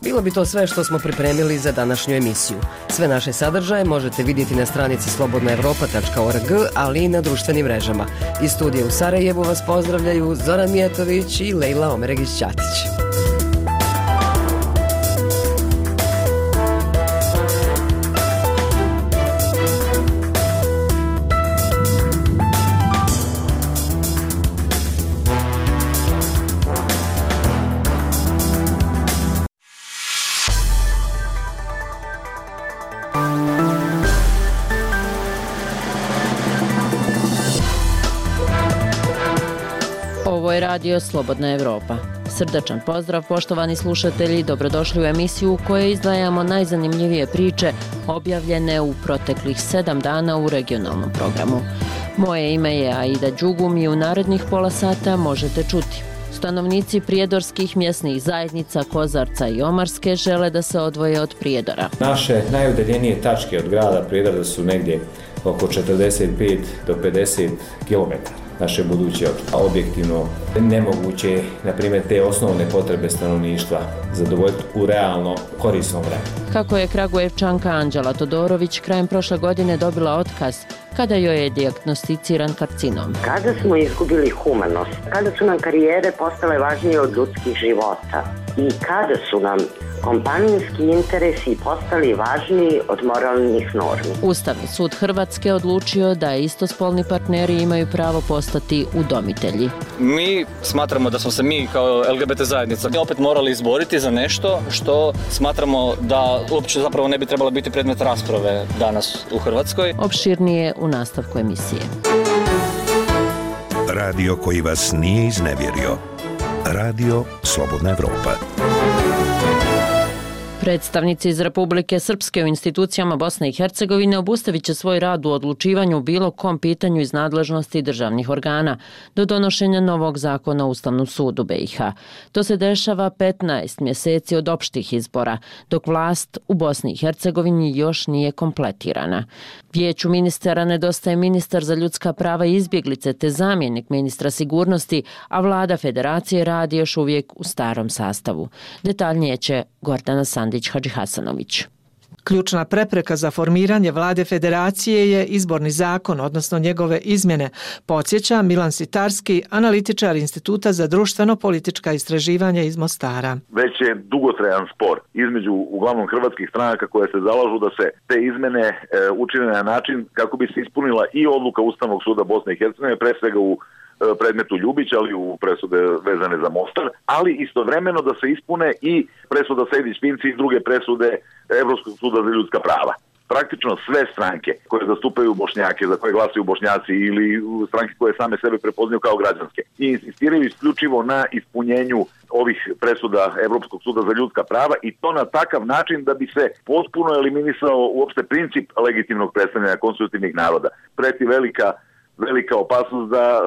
Bilo bi to sve što smo pripremili za današnju emisiju. Sve naše sadržaje možete vidjeti na stranici slobodnaevropa.org, ali i na društvenim mrežama. Iz studija u Sarajevu vas pozdravljaju Zoran Mijetović i Lejla Omeregić-Ćatić. Radio Slobodna Evropa. Srdačan pozdrav, poštovani slušatelji, dobrodošli u emisiju u kojoj izdvajamo najzanimljivije priče objavljene u proteklih 7 dana u regionalnom programu. Moje ime je Aida Đugum i u narednih pola sata možete čuti. Stanovnici prijedorskih mjesnih zajednica Kozarca i Omarske žele da se odvoje od Prijedora. Naše najudaljenije tačke od grada Prijedora su negdje oko 45 do 50 km. Naše buduće objektivno nemoguće, na primjer, te osnovne potrebe stanovništva zadovoljiti u realno korisnom vremenu. Kako je Kragujevčanka Anđela Todorović krajem prošle godine dobila otkaz kada joj je dijagnosticiran karcinom. Kada smo izgubili humanost, kada su nam karijere postale važnije od ljudskih života i kada su nam kompanijski interesi postali važniji od moralnih normi. Ustavni sud Hrvatske odlučio da istospolni partneri imaju pravo postati udomitelji. Mi smatramo da smo se mi kao LGBT zajednica opet morali izboriti za nešto što smatramo da uopće zapravo ne bi trebalo biti predmet rasprave danas u Hrvatskoj. Opširnije u nastavku emisije. Radio koji vas nije iznevjerio. Radio Slobodna Evropa. Predstavnici iz Republike Srpske u institucijama Bosne i Hercegovine obustavit će svoj rad u odlučivanju u bilo kom pitanju iz nadležnosti državnih organa do donošenja novog zakona o Ustavnom sudu BiH. To se dešava 15 mjeseci od opštih izbora, dok vlast u Bosni i Hercegovini još nije kompletirana. Vijeću ministara nedostaje ministar za ljudska prava i izbjeglice te zamjenik ministra sigurnosti, a vlada federacije radi još uvijek u starom sastavu. Detaljnije će Gordana Sandić-Hadžihasanović. Ključna prepreka za formiranje vlade federacije je izborni zakon, odnosno njegove izmjene, podsjeća Milan Sitarski, analitičar Instituta za društveno-politička istraživanja iz Mostara. Već je dugotrajan spor između uglavnom hrvatskih stranaka koje se zalažu da se te izmjene učine na način kako bi se ispunila i odluka Ustavnog suda Bosne i Hercegovine, pre svega u predmetu Ljubić, ali u presude vezane za Mostar, ali istovremeno da se ispune i presuda Sejdić-Finci i druge presude Evropskog suda za ljudska prava. Praktično sve stranke koje zastupaju Bošnjake, za koje glasaju Bošnjaci ili stranke koje same sebe prepoznaju kao građanske i insistiraju isključivo na ispunjenju ovih presuda Evropskog suda za ljudska prava i to na takav način da bi se potpuno eliminisao uopšte princip legitimnog predstavljanja konstitutivnih naroda. Preti velika opasnost da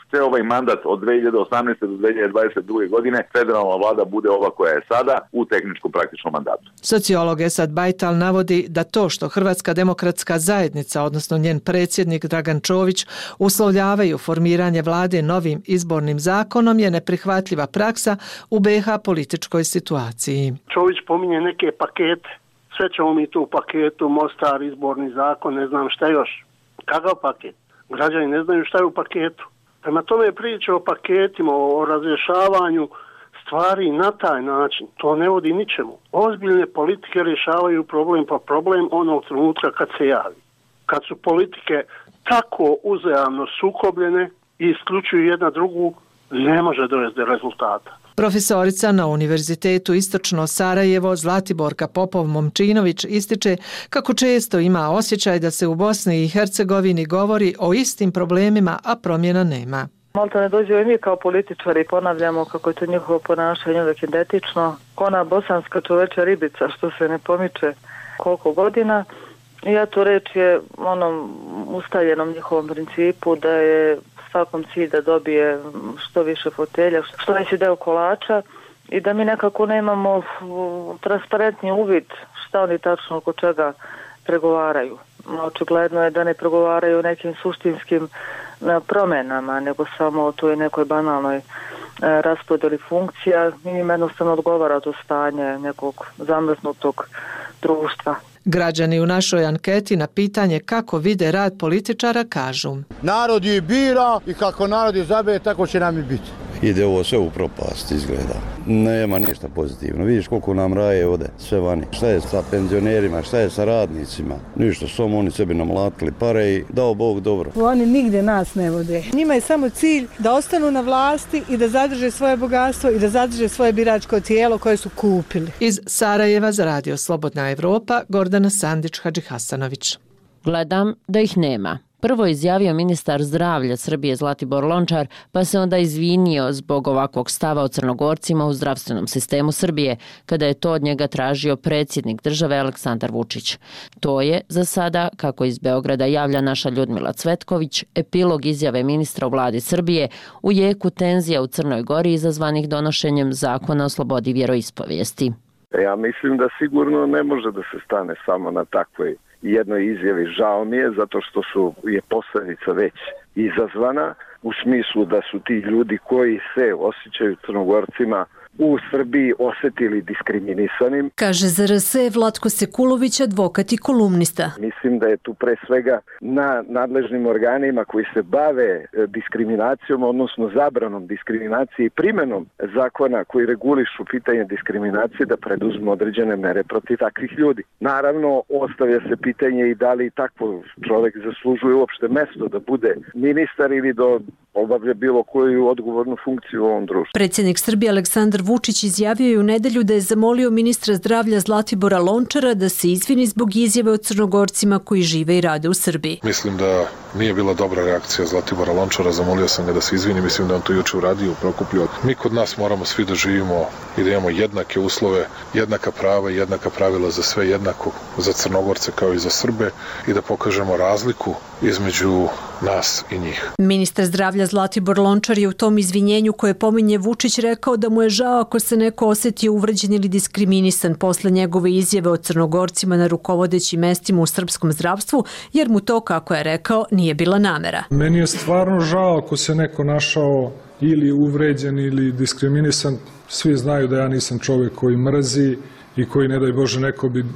sve ovaj mandat od 2018. do 2022. godine federalna vlada bude ova koja je sada u tehničkom praktičnom mandatu. Sociolog Esad Bajtal navodi da to što Hrvatska demokratska zajednica, odnosno njen predsjednik Dragan Čović, uslovljavaju formiranje vlade novim izbornim zakonom je neprihvatljiva praksa u BiH političkoj situaciji. Čović pominje neke pakete. Sve ćemo mi tu u paketu, Mostar, izborni zakon, ne znam šta još. Kakav paket? Građani ne znaju šta je u paketu. Prema tome priča o paketima, o razrješavanju stvari na taj način, to ne vodi ničemu. Ozbiljne politike rješavaju problem pa problem onog trenutka kad se javi. Kad su politike tako uzajamno sukobljene i isključuju jedna drugu, ne može dovesti do rezultata. Profesorica na Univerzitetu Istočno Sarajevo Zlatiborka Popov-Momčinović ističe kako često ima osjećaj da se u Bosni i Hercegovini govori o istim problemima, a promjena nema. Malta ne dođe i mi kao političari ponavljamo kako je to njihovo ponašanje uvijek identično. Ona bosanska čoveča ribica što se ne pomiče koliko godina. I eto reč je onom ustaljenom njihovom principu da je svakom cilj da dobije što više fotelja, što veći deo kolača i da mi nekako nemamo transparentni uvid šta oni tačno oko čega pregovaraju. Očigledno je da ne pregovaraju o nekim suštinskim promjenama, nego samo o toj nekoj banalnoj raspodjeli funkcija. Im jednostavno odgovara to stanje nekog zamrznutog društva. Građani u našoj anketi na pitanje kako vide rad političara kažu: narod je bira i kako narod izabere, tako će nam i biti. Ide ovo sve u propast, izgleda. Nema ništa pozitivno. Vidiš koliko nam raje ode, sve vani. Šta je sa penzionerima, šta je sa radnicima? Ništa, samo oni sebi namlatili pare i dao Bog dobro. Oni nigde nas ne vode. Njima je samo cilj da ostanu na vlasti i da zadrže svoje bogatstvo i da zadrže svoje biračko tijelo koje su kupili. Iz Sarajeva za Radio Slobodna Evropa, Gordana Sandić-Hadžihasanović. Gledam da ih nema. Prvo je izjavio ministar zdravlja Srbije Zlatibor Lončar, pa se onda izvinio zbog ovakvog stava o Crnogorcima u zdravstvenom sistemu Srbije, kada je to od njega tražio predsjednik države Aleksandar Vučić. To je, za sada, kako iz Beograda javlja naša Ljudmila Cvetković, epilog izjave ministra u vladi Srbije u jeku tenzija u Crnoj Gori izazvanih donošenjem zakona o slobodi vjeroispovijesti. Ja mislim da sigurno ne može da se stane samo na takvoj jednoj izjavi. Žao mi je zato što je posljedica već izazvana u smislu da su ti ljudi koji se osjećaju Crnogorcima u Srbiji osjetili diskriminisanim. Kaže za RS Vlatko Sekulović, advokat i kolumnista. Mislim da je tu pre svega na nadležnim organima koji se bave diskriminacijom, odnosno zabranom diskriminacije i primjenom zakona koji regulišu pitanje diskriminacije da preduzmu određene mere protiv takvih ljudi. Naravno, ostavlja se pitanje i da li takvo čovjek zaslužuje uopšte mesto da bude ministar ili da obavlja bilo koju odgovornu funkciju u ovom društvu. Predsjednik Srbije Aleksandar Vučić izjavio je u nedelju da je zamolio ministra zdravlja Zlatibora Lončara da se izvini zbog izjave o Crnogorcima koji žive i rade u Srbiji. Mislim da nije bila dobra reakcija Zlatibora Lončara, zamolio sam ga da se izvini, mislim da on to juče uradio u Prokuplju. Mi kod nas moramo svi da živimo i da imamo jednake uslove, jednaka prava i jednaka pravila za sve, jednako za Crnogorce kao i za Srbe i da pokažemo razliku između nas i njih. Ministar zdravlja Zlatibor Lončar je u tom izvinjenju koje pominje Vučić rekao da mu je žao ako se neko osjetio uvređen ili diskriminisan posle njegove izjave o Crnogorcima na rukovodećim mestima u srpskom zdravstvu, jer mu to, kako je rekao, nije bila namera. Meni je stvarno žao ako se neko našao ili uvređen ili diskriminisan. Svi znaju da ja nisam čovjek koji mrzi i koji, ne daj Bože,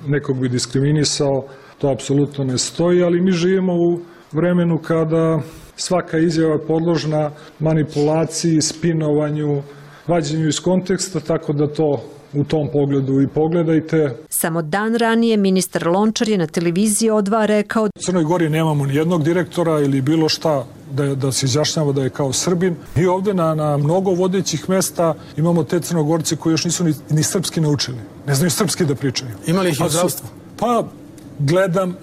nekog bi diskriminisao. To apsolutno ne stoji, ali mi živimo u vremenu kada svaka izjava je podložna manipulaciji, spinovanju, vađenju iz konteksta, tako da to u tom pogledu i pogledajte. Samo dan ranije ministar Lončar je na televiziji O2 rekao: u Crnoj Gori nemamo ni jednog direktora ili bilo šta da se izjašnjava da je kao Srbin. I ovdje na mnogo vodećih mesta imamo te Crnogorci koji još nisu ni srpski naučili. Ne znaju srpski da pričaju. Imali ih i u zdravstvu? Pa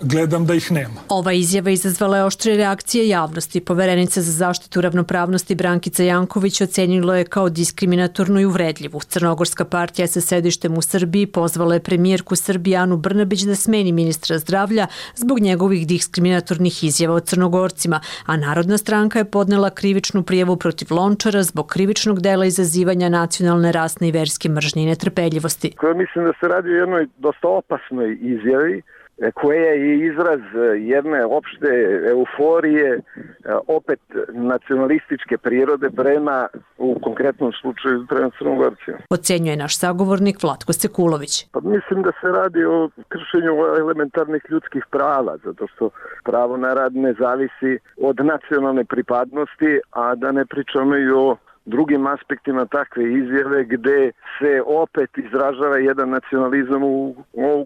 gledam da ih nema. Ova izjava izazvala je oštre reakcije javnosti. Poverenica za zaštitu ravnopravnosti Brankica Janković ocenila je kao diskriminatornu i uvredljivu. Crnogorska partija sa sedištem u Srbiji pozvala je premijerku Srbije Anu Brnabić da smeni ministra zdravlja zbog njegovih diskriminatornih izjava o Crnogorcima, a Narodna stranka je podnela krivičnu prijavu protiv Lončara zbog krivičnog dela izazivanja nacionalne, rasne i verske mržnje i netrpeljivosti. Mislim da se radi o jednoj dosta opasnoj izjavi koja je izraz jedne opšte euforije, opet nacionalističke prirode prema, u konkretnom slučaju, prema Crnogorcima. Ocenjuje naš sagovornik Vlatko Sekulović. Pa mislim da se radi o kršenju elementarnih ljudskih prava, zato što pravo na rad ne zavisi od nacionalne pripadnosti, a da ne pričamo i o drugim aspektima takve izjave gde se opet izražava jedan nacionalizam u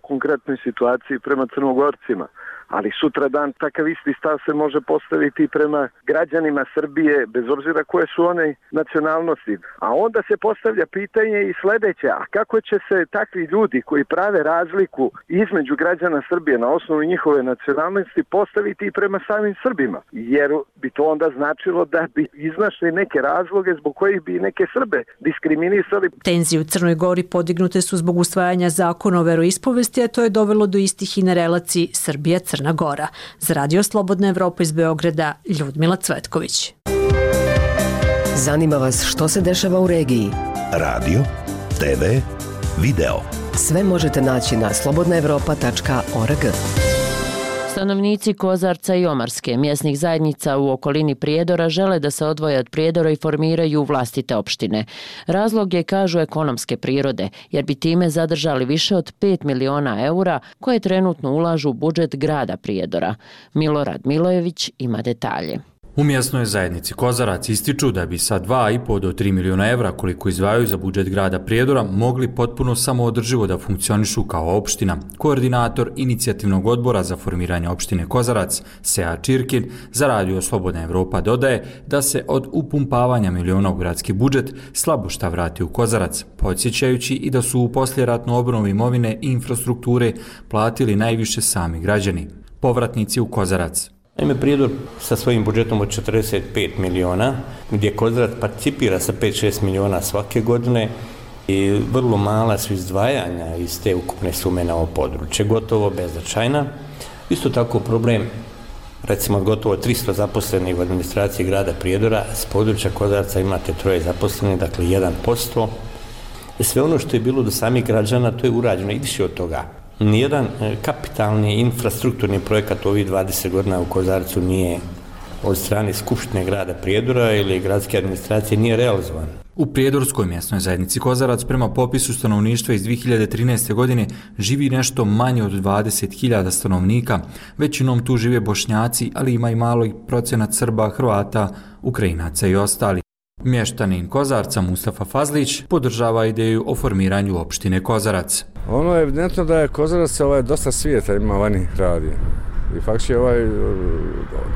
konkretnoj situaciji prema Crnogorcima. Ali sutradan takav isti stav se može postaviti prema građanima Srbije, bez obzira koje su one nacionalnosti. A onda se postavlja pitanje i sledeće: a kako će se takvi ljudi koji prave razliku između građana Srbije na osnovu njihove nacionalnosti postaviti i prema samim Srbima? Jer bi to onda značilo da bi iznašli neke razloge zbog kojih bi neke Srbe diskriminisali. Tenzije u Crnoj Gori podignute su zbog usvajanja zakona o veroispovesti, a to je dovelo do istih i na relaciji Srbija-Crna Gora. Za Radio Slobodna Evropa iz Beograda, Ljudmila Cvetković. Zanima vas što se dešava u regiji? Radio, TV, video. Sve možete naći na slobodnaevropa.org. Stanovnici Kozarca i Omarske, mjesnih zajednica u okolini Prijedora, žele da se odvoje od Prijedora i formiraju vlastite opštine. Razlog je, kažu, ekonomske prirode, jer bi time zadržali više od 5 miliona eura koje trenutno ulažu u budžet grada Prijedora. Milorad Milojević ima detalje. U mjesnoj zajednici Kozarac ističu da bi sa 2,5 do 3 miliona evra koliko izdvajaju za budžet grada Prijedora mogli potpuno samoodrživo da funkcionišu kao opština. Koordinator inicijativnog odbora za formiranje opštine Kozarac, Sead Čirkin, za Radio Slobodna Evropa dodaje da se od upumpavanja miliona u gradski budžet slabo šta vrati u Kozarac, podsjećajući i da su u poslijeratnu obnovu imovine i infrastrukture platili najviše sami građani. Povratnici u Kozarac. Naime, Prijedor sa svojim budžetom od 45 miliona, gdje Kozarac participira sa 5-6 miliona svake godine i vrlo mala su izdvajanja iz te ukupne sume na ovo područje, gotovo beznačajna. Isto tako problem, recimo od gotovo 300 zaposlenih u administraciji grada Prijedora, s područja Kozarca imate 3 zaposlenih, dakle 1%. Sve ono što je bilo do samih građana, to je urađeno i više od toga. Nijedan kapitalni infrastrukturni projekat u ovih 20 godina u Kozarcu nije od strane Skupštine grada Prijedora ili gradske administracije nije realizovan. U Prijedorskoj mjesnoj zajednici Kozarac prema popisu stanovništva iz 2013. godine živi nešto manje od 20.000 stanovnika. Većinom tu žive Bošnjaci, ali ima i malo procenat Srba, Hrvata, Ukrajinaca i ostali. Mještanin Kozarca Mustafa Fazlić podržava ideju o formiranju opštine Kozarac. Ono je evidentno da je Kozarac dosta svijeta ima vani radi. I faktički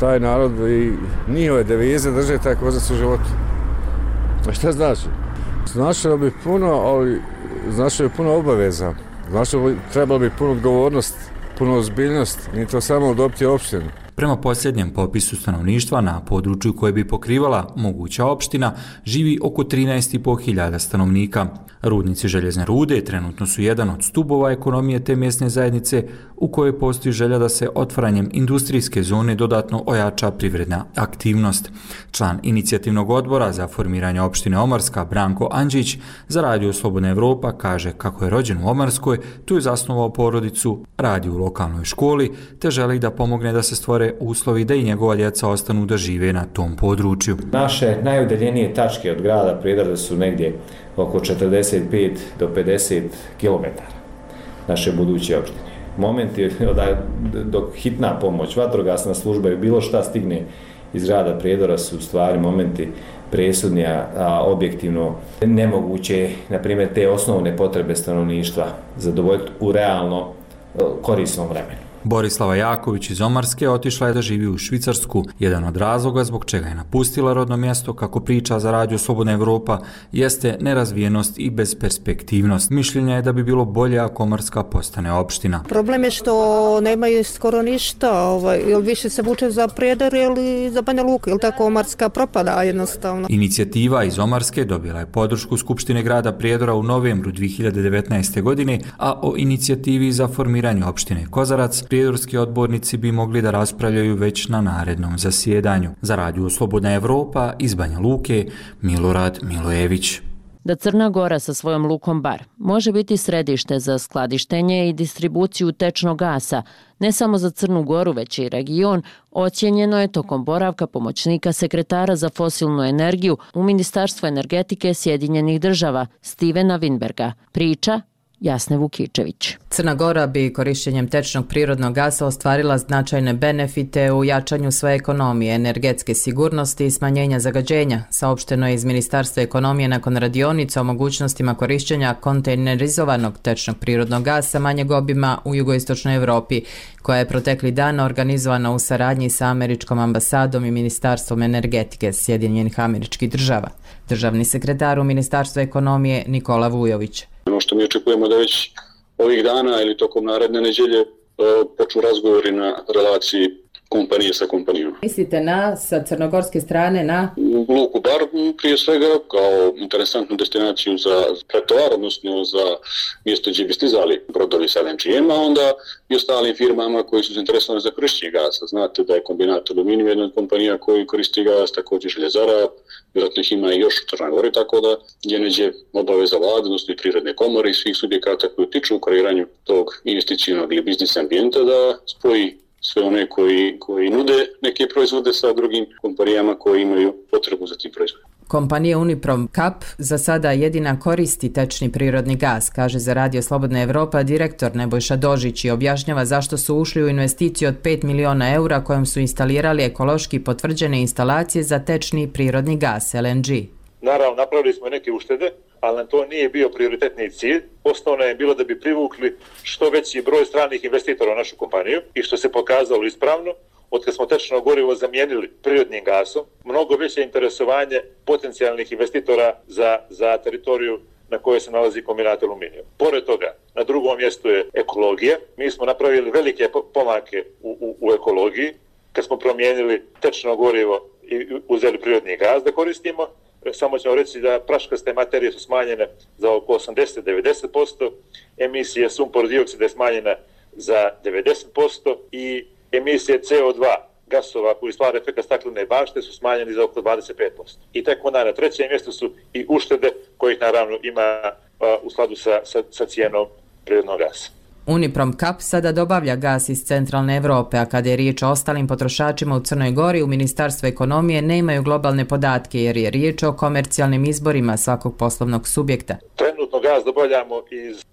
taj narod i njihove devize drže taj Kozarac u životu. A šta znači? Značilo bi puno, ali značilo bi puno obaveza. Značilo bi trebalo bi puno odgovornost, puno ozbiljnost, ni to samo dobiti opštinu. Prema posljednjem popisu stanovništva na području koje bi pokrivala moguća opština živi oko 13.500 stanovnika. Rudnici željezne rude trenutno su jedan od stubova ekonomije te mjesne zajednice u kojoj postoji želja da se otvaranjem industrijske zone dodatno ojača privredna aktivnost. Član inicijativnog odbora za formiranje opštine Omarska Branko Andžić za Radio Slobodna Evropa kaže kako je rođen u Omarskoj, tu je zasnovao porodicu, radi u lokalnoj školi te želi da pomogne da se stvore uslovi da i njegova djeca ostanu da žive na tom području. Naše najudaljenije tačke od grada Prijedora su negdje oko 45 do 50 km naše buduće opštine. Momenti dok hitna pomoć, vatrogasna služba i bilo šta stigne iz grada Prijedora su u stvari momenti presudni, a objektivno nemoguće, na primjer, te osnovne potrebe stanovništva zadovoljiti u realno korisnom vremenu. Borislava Jaković iz Omarske otišla je da živi u Švicarsku. Jedan od razloga zbog čega je napustila rodno mjesto, kako priča za Radio Slobodna Evropa, jeste nerazvijenost i besperspektivnost. Mišljenja je da bi bilo bolje ako Omarska postane opština. Problem je što nemaju skoro ništa, ili više se vuče za Prijedor ili za Banja Luku, ili tako Omarska propada jednostavno. Inicijativa iz Omarske dobila je podršku Skupštine grada Prijedora u novembru 2019. godine, a o inicijativi za formiranje opštine Kozarac prijedorski odbornici bi mogli da raspravljaju već na narednom zasjedanju. Za Radio Slobodna Evropa iz Banja Luke, Milorad Milojević. Da Crna Gora sa svojom lukom Bar može biti središte za skladištenje i distribuciju tečnog gasa, ne samo za Crnu Goru, već i region, ocijenjeno je tokom boravka pomoćnika sekretara za fosilnu energiju u Ministarstvu energetike Sjedinjenih država, Stevena Winberga. Priča Jasne Vukičević. Crna Gora bi korištenjem tečnog prirodnog gasa ostvarila značajne benefite u jačanju svoje ekonomije, energetske sigurnosti i smanjenja zagađenja, saopšteno je iz Ministarstva ekonomije nakon radionica o mogućnostima korištenja kontejnerizovanog tečnog prirodnog gasa manjeg obima u jugoistočnoj Evropi, koja je protekli dan organizovana u saradnji sa Američkom ambasadom i Ministarstvom energetike Sjedinjenih Američkih Država. Državni sekretar u Ministarstvu ekonomije Nikola Vujović. Ono što mi očekujemo da već ovih dana ili tokom naredne nedjelje počnu razgovori na relaciji kompanije sa kompanijom. Mislite sa crnogorske strane na? Luku Bar prije svega kao interesantnu destinaciju za pretovar, odnosno za mjesto gdje bi stizali brodovi sa LNG-em, a onda i ostalim firmama koji su zainteresovani za korištenje gasa. Znate da je kombinat Aluminijum jedna od kompanija koji koristi gas, također željezara, vjerojatno ih ima i još u Crnoj Gori, tako da je neđe obaveza vlade, odnosno i privredne komore i svih subjekata koji utiču u kreiranju tog investicijnog ili biznis ambijenta da spoji sve one koji nude neke proizvode sa drugim kompanijama koji imaju potrebu za tim proizvodima. Kompanija Uniprom Kap za sada jedina koristi tečni prirodni gas, kaže za Radio Slobodna Evropa direktor Nebojša Dožić i objašnjava zašto su ušli u investiciju od 5 miliona eura kojom su instalirali ekološki potvrđene instalacije za tečni prirodni gas, LNG. Naravno, napravili smo neke uštede, ali nam to nije bio prioritetni cilj. Osnovno je bilo da bi privukli što veći broj stranih investitora u našu kompaniju i što se pokazalo ispravno. Od kad smo tečno gorivo zamijenili prirodnim gasom, mnogo veće interesovanje potencijalnih investitora za teritoriju na kojoj se nalazi kombinat aluminijum. Pored toga, na drugom mjestu je ekologija. Mi smo napravili velike pomake u ekologiji, kad smo promijenili tečno gorivo i uzeli prirodni gaz da koristimo. Samo ćemo reći da praškaste materije su smanjene za oko 80-90%, emisije sumpor dioksida je smanjena za 90% i emisije CO2 gasova koji stvara efekt staklene bašte su smanjeni za oko 25%. I tek onda na trećem mjestu su i uštede kojih naravno ima u skladu sa cijenom prirodnog gasa. Uniprom Kap sada dobavlja gas iz centralne Evrope, a kada je riječ o ostalim potrošačima u Crnoj Gori, u Ministarstvu ekonomije nemaju globalne podatke jer je riječ o komercijalnim izborima svakog poslovnog subjekta. Trenutno gaz dobavljamo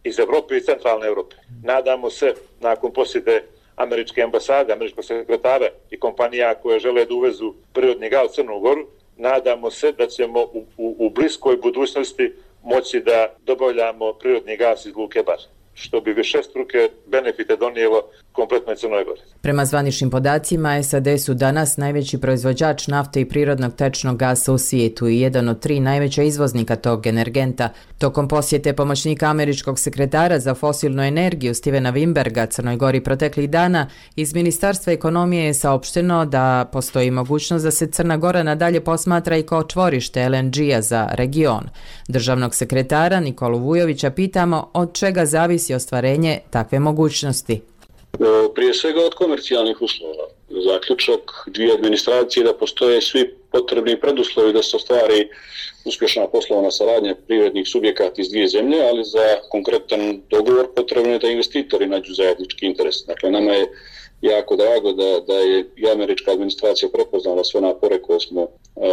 iz Evrope i centralne Evrope. Nadamo se, nakon posjete američke ambasade, američkog sekretara i kompanija koje žele da uvezu prirodni gaz u Crnu Goru, nadamo se da ćemo u bliskoj budućnosti moći da dobavljamo prirodni gas iz luke Bar, što bi višestruke benefite donijelo kompletnoj Crnoj Gori. Prema zvaničnim podacima, SAD su danas najveći proizvođač nafte i prirodnog tečnog gasa u svijetu i jedan od 3 najveća izvoznika tog energenta. Tokom posjete pomoćnika američkog sekretara za fosilnu energiju Stevena Wimberga Crnoj Gori proteklih dana, iz Ministarstva ekonomije je saopšteno da postoji mogućnost da se Crna Gora nadalje posmatra i kao čvorište LNG-a za region. Državnog sekretara Nikolu Vujovića pitamo od čega zavisi ostvarenje takve mogućnosti. Prije svega od komercijalnih uslova. Zaključak dvije administracije da postoje svi potrebni preduslovi da se ostvari uspješna poslovna saradnja privrednih subjekata iz dvije zemlje, ali za konkretan dogovor potrebno je da investitori nađu zajednički interes. Dakle, nama je jako drago da je i američka administracija prepoznala sve napore koje smo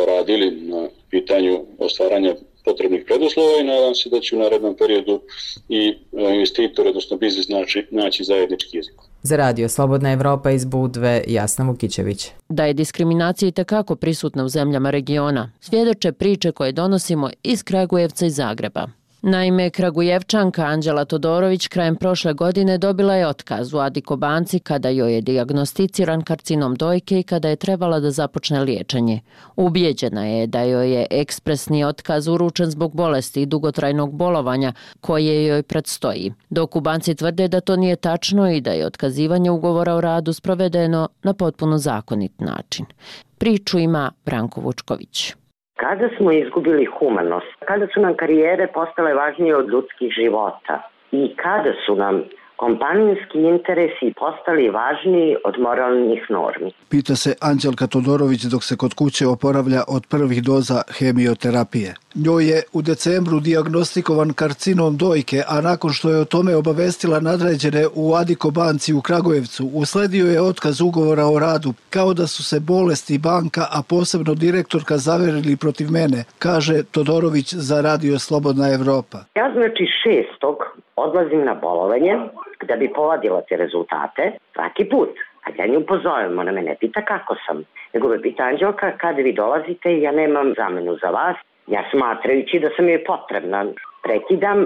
radili na pitanju ostvaranja potrebnih preduslova i nadam se da će u narednom periodu i investitori, odnosno biznis, naći zajednički jezik. Za Radio Slobodna Evropa iz Budve, Jasna Vukićević. Da je diskriminacija itekako prisutna u zemljama regiona, svjedoče priče koje donosimo iz Kragujevca i Zagreba. Naime, Kragujevčanka Anđela Todorović krajem prošle godine dobila je otkaz u Adiko banci kada joj je dijagnosticiran karcinom dojke i kada je trebala da započne liječenje. Ubijeđena je da joj je ekspresni otkaz uručen zbog bolesti i dugotrajnog bolovanja koje joj predstoji, dok u banci tvrde da to nije tačno i da je otkazivanje ugovora o radu sprovedeno na potpuno zakonit način. Priču ima Branko Vučković. Kada smo izgubili humanost, kada su nam karijere postale važnije od ljudskih života i kada su nam kompanijski interesi postali važniji od moralnih normi. Pita se Anđelka Todorović dok se kod kuće oporavlja od prvih doza hemioterapije. Njoj je u decembru dijagnostikovan karcinom dojke, a nakon što je o tome obavestila nadređene u Adiko banci u Kragujevcu, usledio je otkaz ugovora o radu, kao da su se bolesti banka, a posebno direktorka zaverili protiv mene, kaže Todorović za Radio Slobodna Evropa. Ja znači 6. odlazim na bolovanje da bi povadila te rezultate svaki put. A ja nju pozovem, ona me ne pita kako sam, nego me pita Anđelka kad vi dolazite, ja nemam zamenu za vas. Ja smatrajući da sam joj potrebna, prekidam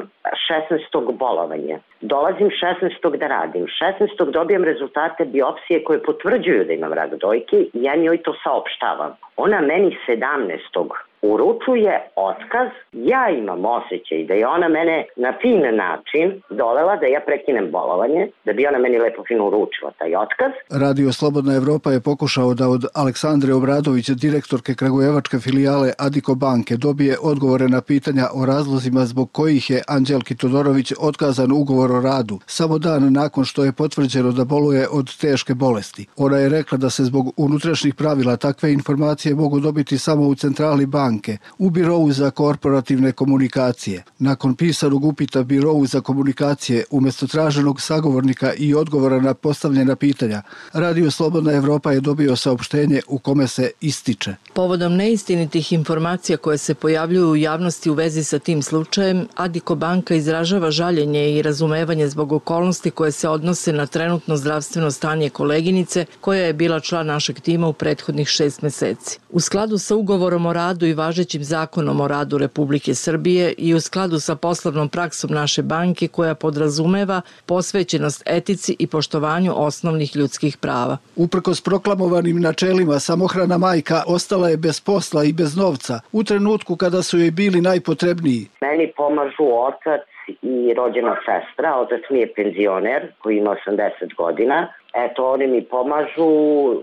16. bolovanje. Dolazim 16. da radim. 16. dobijem rezultate biopsije koje potvrđuju da imam rak dojke i ja njoj to saopštavam. Ona meni 17. uručuje otkaz. Ja imam osjećaj da je ona mene na fin način dovela da ja prekinem bolovanje, da bi ona meni lepo fino uručila taj otkaz. Radio Slobodna Evropa je pokušao da od Aleksandre Obradović, direktorke kragujevačke filijale Adiko banke, dobije odgovore na pitanja o razlozima zbog kojih je Anđelki Todorović otkazan ugovor o radu, samo dan nakon što je potvrđeno da boluje od teške bolesti. Ona je rekla da se zbog unutrašnjih pravila takve informacije mogu dobiti samo u centrali banke, banke u Birovu za korporativne komunikacije. Nakon pisanog upita Birovu za komunikacije umjesto traženog sagovornika i odgovora na postavljena pitanja, Radio Slobodna Evropa je dobio saopštenje u kome se ističe. Povodom neistinitih informacija koje se pojavljuju u javnosti u vezi sa tim slučajem, Adiko banka izražava žaljenje i razumevanje zbog okolnosti koje se odnose na trenutno zdravstveno stanje koleginice koja je bila član našeg tima u prethodnih 6 meseci. U skladu sa ugovorom o radu i važećim zakonom o radu Republike Srbije i u skladu sa poslovnom praksom naše banke koja podrazumeva posvećenost etici i poštovanju osnovnih ljudskih prava. Uprkos proklamovanim načelima, samohrana majka ostala je bez posla i bez novca u trenutku kada su joj bili najpotrebniji. Meni pomažu otac i rođena sestra. Otac mi je penzioner koji ima 80 godina. Eto, oni mi pomažu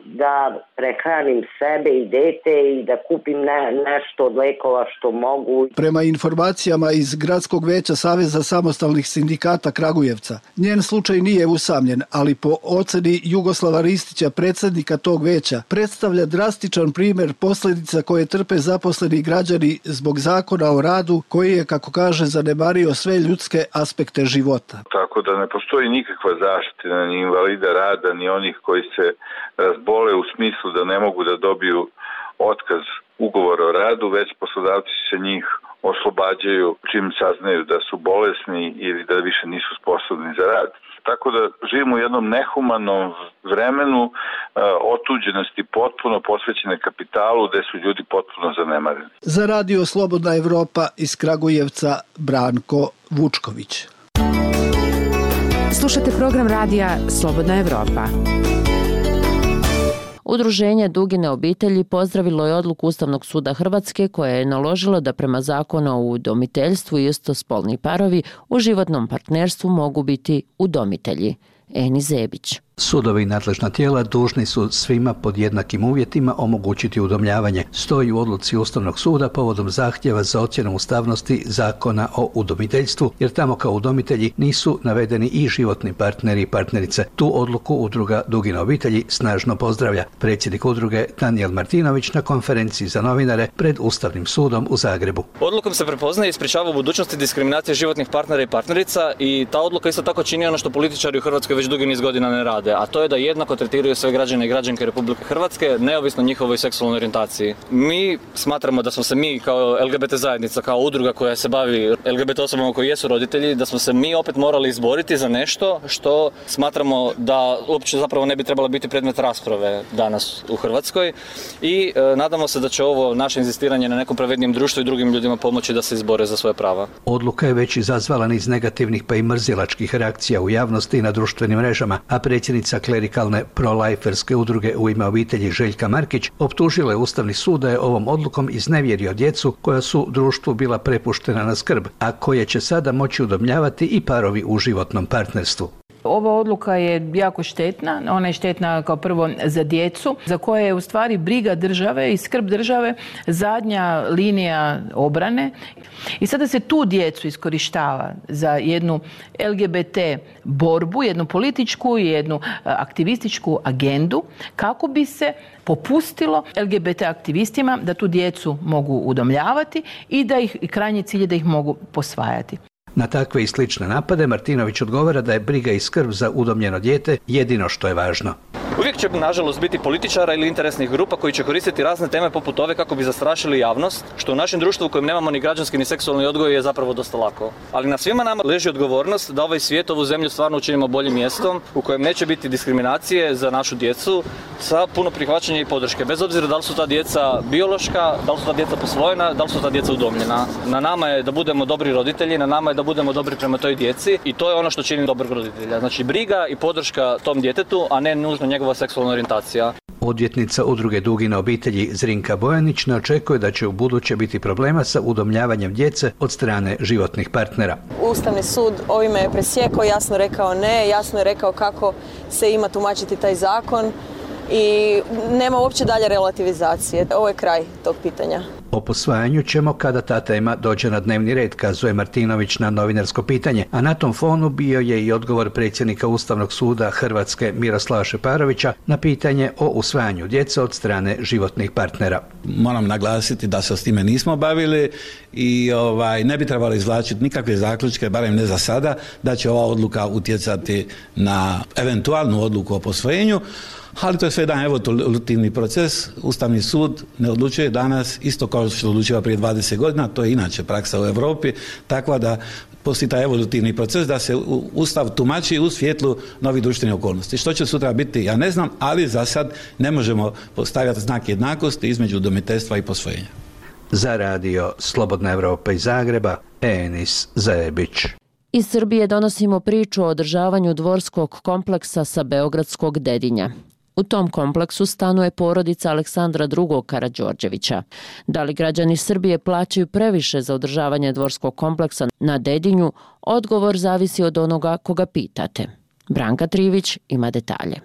da prehranim sebe i dete i da kupim nešto od lekova što mogu. Prema informacijama iz Gradskog veća Saveza samostalnih sindikata Kragujevca, njen slučaj nije usamljen, ali po oceni Jugoslava Ristića, predsjednika tog veća, predstavlja drastičan primjer posljedica koje trpe zaposleni građani zbog zakona o radu koji je, kako kaže, zanemario sve ljudske aspekte života. Tako da ne postoji nikakva zaštita ni invalida rada, ni onih koji se razbole u smislu da ne mogu da dobiju otkaz ugovora o radu, već poslodavci se njih oslobađaju čim saznaju da su bolesni ili da više nisu sposobni za rad. Tako da živimo u jednom nehumanom vremenu otuđenosti potpuno posvećene kapitalu gde su ljudi potpuno zanemareni. Za Radio Slobodna Evropa iz Kragujevca Branko Vučković. Slušate program radija Slobodna Evropa. Udruženje Dugine obitelji pozdravilo je odluku Ustavnog suda Hrvatske koja je naložila da prema zakonu o udomiteljstvu istospolni parovi u životnom partnerstvu mogu biti udomitelji. Eni Zebić. Sudovi i nadležna tijela dužni su svima pod jednakim uvjetima omogućiti udomljavanje, stoji u odluci Ustavnog suda povodom zahtjeva za ocjenu ustavnosti zakona o udomiteljstvu, jer tamo kao udomitelji nisu navedeni i životni partneri i partnerice. Tu odluku udruga Dugine obitelji snažno pozdravlja. Predsjednik udruge Danijel Martinović na konferenciji za novinare pred Ustavnim sudom u Zagrebu. Odlukom se prepoznaje i sprečava u budućnosti diskriminacije životnih partnera i partnerica i ta odluka isto tako čini ono što političari u Hrvatskoj već dugi niz godina ne rade, a to je da jednako tretiraju sve građane i građanke Republike Hrvatske, neovisno njihovoj seksualnoj orijentaciji. Mi smatramo da smo se mi kao LGBT zajednica, kao udruga koja se bavi LGBT osobama koji jesu roditelji, da smo se mi opet morali izboriti za nešto što smatramo da uopće zapravo ne bi trebalo biti predmet rasprave danas u Hrvatskoj i nadamo se da će ovo naše inzistiranje na nekom pravednijem društvu i drugim ljudima pomoći da se izbore za svoje prava. Odluka je već izazvala niz negativnih pa i mrzilačkih reakcija u javnosti i na društvenim mrežama, a predsjednica klerikalne pro-liferske udruge U ime obitelji Željka Markić optužila je Ustavni sud da je ovom odlukom iznevjerio djecu koja su društvu bila prepuštena na skrb, a koje će sada moći udomljavati i parovi u životnom partnerstvu. Ova odluka je jako štetna, ona je štetna kao prvo za djecu, za koje je u stvari briga države i skrb države zadnja linija obrane. I sada se tu djecu iskorištava za jednu LGBT borbu, jednu političku i jednu aktivističku agendu, kako bi se popustilo LGBT aktivistima da tu djecu mogu udomljavati i da ih, krajnji cilj je da ih mogu posvajati. Na takve i slične napade Martinović odgovara da je briga i skrb za udomljeno dijete jedino što je važno. Uvijek će, nažalost, biti političara ili interesnih grupa koji će koristiti razne teme poput ove kako bi zastrašili javnost, što u našem društvu u kojem nemamo ni građanski ni seksualni odgoj je zapravo dosta lako. Ali na svima nama leži odgovornost da ovaj svijet, ovu zemlju stvarno učinimo boljim mjestom u kojem neće biti diskriminacije za našu djecu sa puno prihvaćanja i podrške. Bez obzira da li su ta djeca biološka, da li su ta djeca posvojena, da li su ta djeca udomljena. Na nama je da budemo dobri roditelji, na nama je da budemo dobri prema toj djeci i to je ono što čini dobrog roditelja. Znači briga i podrška tom djetetu, a ne nužno njegova seksualna orijentacija. Odvjetnica udruge Dugine obitelji Zrinka Bojanić ne očekuje da će u buduće biti problema sa udomljavanjem djece od strane životnih partnera. Ustavni sud ovime je presjekao, jasno rekao ne, jasno je rekao kako se ima tumačiti taj zakon i nema uopće dalje relativizacije. Ovo je kraj tog pitanja. O posvajanju ćemo kada ta tema dođe na dnevni red, kazuje Martinović na novinarsko pitanje, a na tom fonu bio je i odgovor predsjednika Ustavnog suda Hrvatske Miroslava Šeparovića na pitanje o usvajanju djece od strane životnih partnera. Moram naglasiti da se s time nismo bavili i ne bi trebalo izvlačiti nikakve zaključke, barem ne za sada, da će ova odluka utjecati na eventualnu odluku o posvojenju, ali to je sve jedan evolutivni proces. Ustavni sud ne odlučuje danas isto kao što odlučuje prije 20 godina, to je inače praksa u Europi, tako da postoji taj evolutivni proces da se Ustav tumači u svjetlu novih društvenih okolnosti. Što će sutra biti, ja ne znam, ali za sad ne možemo postavljati znak jednakosti između udomiteljstva i posvojenja. Za radio Slobodna Evropa iz Zagreba, Enis Zajebić. Iz Srbije donosimo priču o održavanju dvorskog kompleksa sa beogradskog Dedinja. U tom kompleksu stanuje porodica Aleksandra II. Karađorđevića. Da li građani Srbije plaćaju previše za održavanje dvorskog kompleksa na Dedinju? Odgovor zavisi od onoga koga pitate. Branka Trivić ima detalje.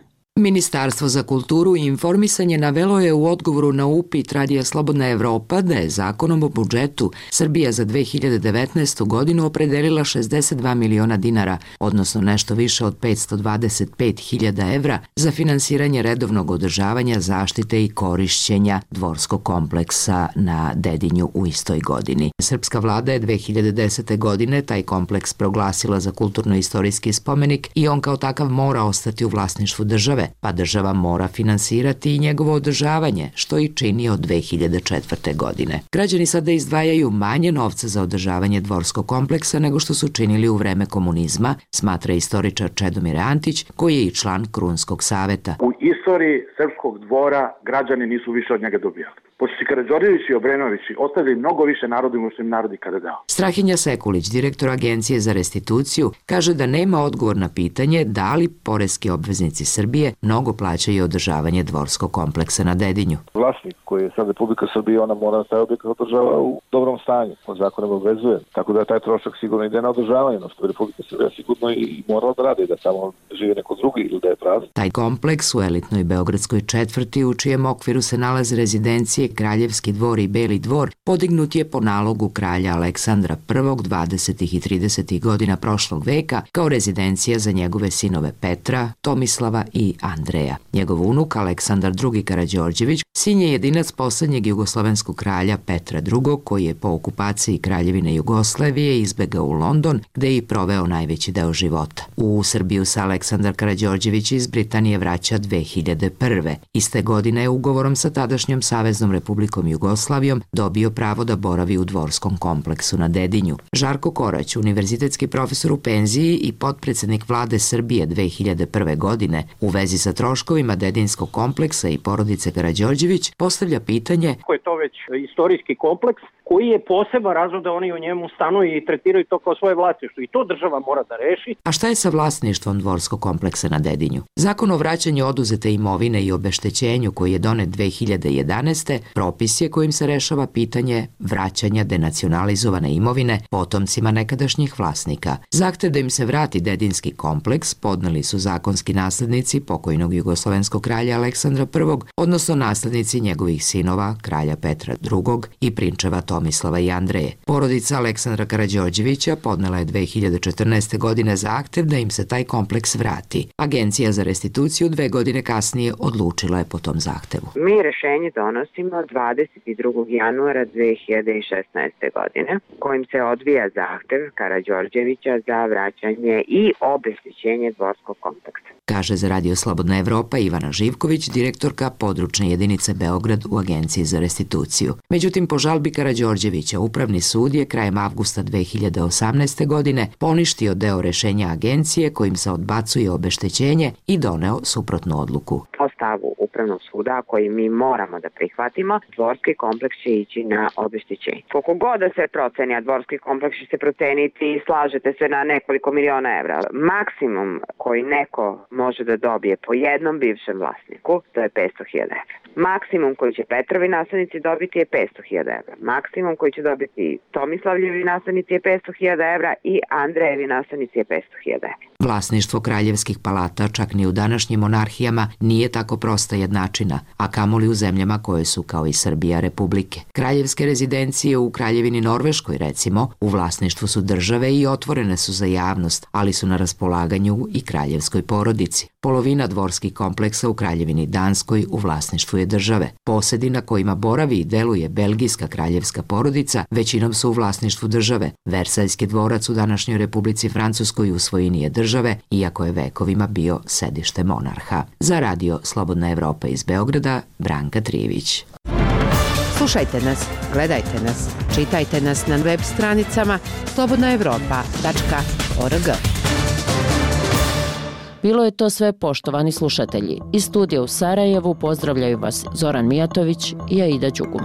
Ministarstvo za kulturu i informisanje navelo je u odgovoru na upit Radija Slobodna Evropa da je zakonom o budžetu Srbija za 2019. godinu opredelila 62 miliona dinara, odnosno nešto više od 525.000 evra za finansiranje redovnog održavanja, zaštite i korišćenja dvorskog kompleksa na Dedinju u istoj godini. Srpska vlada je 2010. godine taj kompleks proglasila za kulturno-istorijski spomenik i on kao takav mora ostati u vlasništvu države, pa država mora finansirati i njegovo održavanje, što i čini od 2004. godine. Građani sada izdvajaju manje novca za održavanje dvorskog kompleksa nego što su činili u vreme komunizma, smatra istoričar Čedomir Antić, koji je i član Krunskog saveta. U istoriji srpskog dvora građani nisu više od njega dobijali. Pošto si Karađorđević i Obrenović ostavili mnogo više narodu nego što im narod ikada dao. Strahinja Sekulić, direktor Agencije za restituciju, kaže da nema odgovor na pitanje da li poreski obveznici Srbije mnogo plaćaju održavanje dvorskog kompleksa na Dedinju. Vlasnik koji je sad Republika Srbije, ona mora taj objekat održava u dobrom stanju, po zakonom obvezuje. Tako da taj trošak sigurno ide na održavanje, no što je Republika Srbije sigurno i morala da radi, da tamo žive neko drugi ili da je prazan. Taj kompleks u elitnoj beogradskoj četvrti, u čijem okviru se nalaze rezidencije Kraljevski dvor i Beli dvor, podignut je po nalogu kralja Aleksandra I 20. i 30. godina prošlog veka kao rezidencija za njegove sinove Petra, Tomislava i Andreja. Njegov unuk Aleksandar II. Karađorđević sin je jedinac posljednjeg jugoslovenskog kralja Petra II. Koji je po okupaciji Kraljevine Jugoslavije izbegao u London, gde je i proveo najveći deo života. U Srbiju se Aleksandar Karađorđević iz Britanije vraća 2001. Iste godine je ugovorom sa tadašnjom Saveznom Republikom Jugoslavijom dobio pravo da boravi u dvorskom kompleksu na Dedinju. Žarko Korać, univerzitetski profesor u penziji i potpredsednik vlade Srbije 2001. godine, u vezi sa troškovima Dedinskog kompleksa i porodice Karađorđević, postavlja pitanje: ako je to već istorijski kompleks koji je poseban razlog da oni u njemu stanuju i tretiraju to kao svoje vlasništvo, i to država mora da reši. A šta je sa vlasništvom dvorskog kompleksa na Dedinju? Zakon o vraćanju oduzete imovine i obeštećenju koji je donet 2011. propis je kojim se rešava pitanje vraćanja denacionalizovane imovine potomcima nekadašnjih vlasnika. Zahtev da im se vrati Dedinski kompleks podneli su zakonski naslednici pokojnog jugoslovenskog kralja Aleksandra I, odnosno naslednici njegovih sinova, kralja Petra II. I prinčeva Tomislava i Andreje. Porodica Aleksandra Karađorđevića podnela je 2014. godine zahtev da im se taj kompleks vrati. Agencija za restituciju 2 godine kasnije odlučila je po tom zahtevu. Mi rešenje donosimo 22. januara 2016. godine, kojim se odvija zahtev Karađorđevića za vraćanje i obeštećenje dvorskog kompleksa. Kaže za Radio Slobodna Evropa Ivana Živković, direktorka područne jedinice Beograd u Agenciji za restituciju. Međutim, po žalbi Karađorđevića, Upravni sud je krajem avgusta 2018. godine poništio deo rešenja agencije kojim se odbacuje obeštećenje i doneo suprotnu odluku. Po stavu Upravnog suda, koji mi moramo da prihvatimo, dvorski kompleks će ići na obeštećenje. Koliko god da se proceni, a dvorski kompleks će se proceniti i slažete se na nekoliko miliona evra. Maksimum koji neko može da dobije po jednom bivšem vlasniku, to je 500.000 evra. Maksimum koji će Petrovi naslednici dobiti je 500.000 evra. Maksimum koji će dobiti Tomislavljevi naslednici je 500.000 evra i Andrejevi naslednici je 500.000 evra. Vlasništvo kraljevskih palata čak ni u današnjim monarhijama nije tako prosta jednačina, a kamoli u zemljama koje su kao i Srbija republike. Kraljevske rezidencije u Kraljevini Norveškoj, recimo, u vlasništvu su države i otvorene su za javnost, ali su na raspolaganju i kraljevskoj porodici. Polovina dvorskih kompleksa u Kraljevini Danskoj u vlasništvu je države. Posedi na kojima boravi i deluje belgijska kraljevska porodica većinom su u vlasništvu države. Versajski dvorac u današnjoj Republici Francuskoj u svojini je države, iako je vekovima bio sedište monarha. Za radio Slobodna Evropa iz Beograda, Branka Trijević. Slušajte nas, gledajte nas, čitajte nas na web stranicama slobodnaevropa.org. Bilo je to sve, poštovani slušatelji. Iz studija u Sarajevu pozdravljaju vas Zoran Mijatović i Aida Đugum.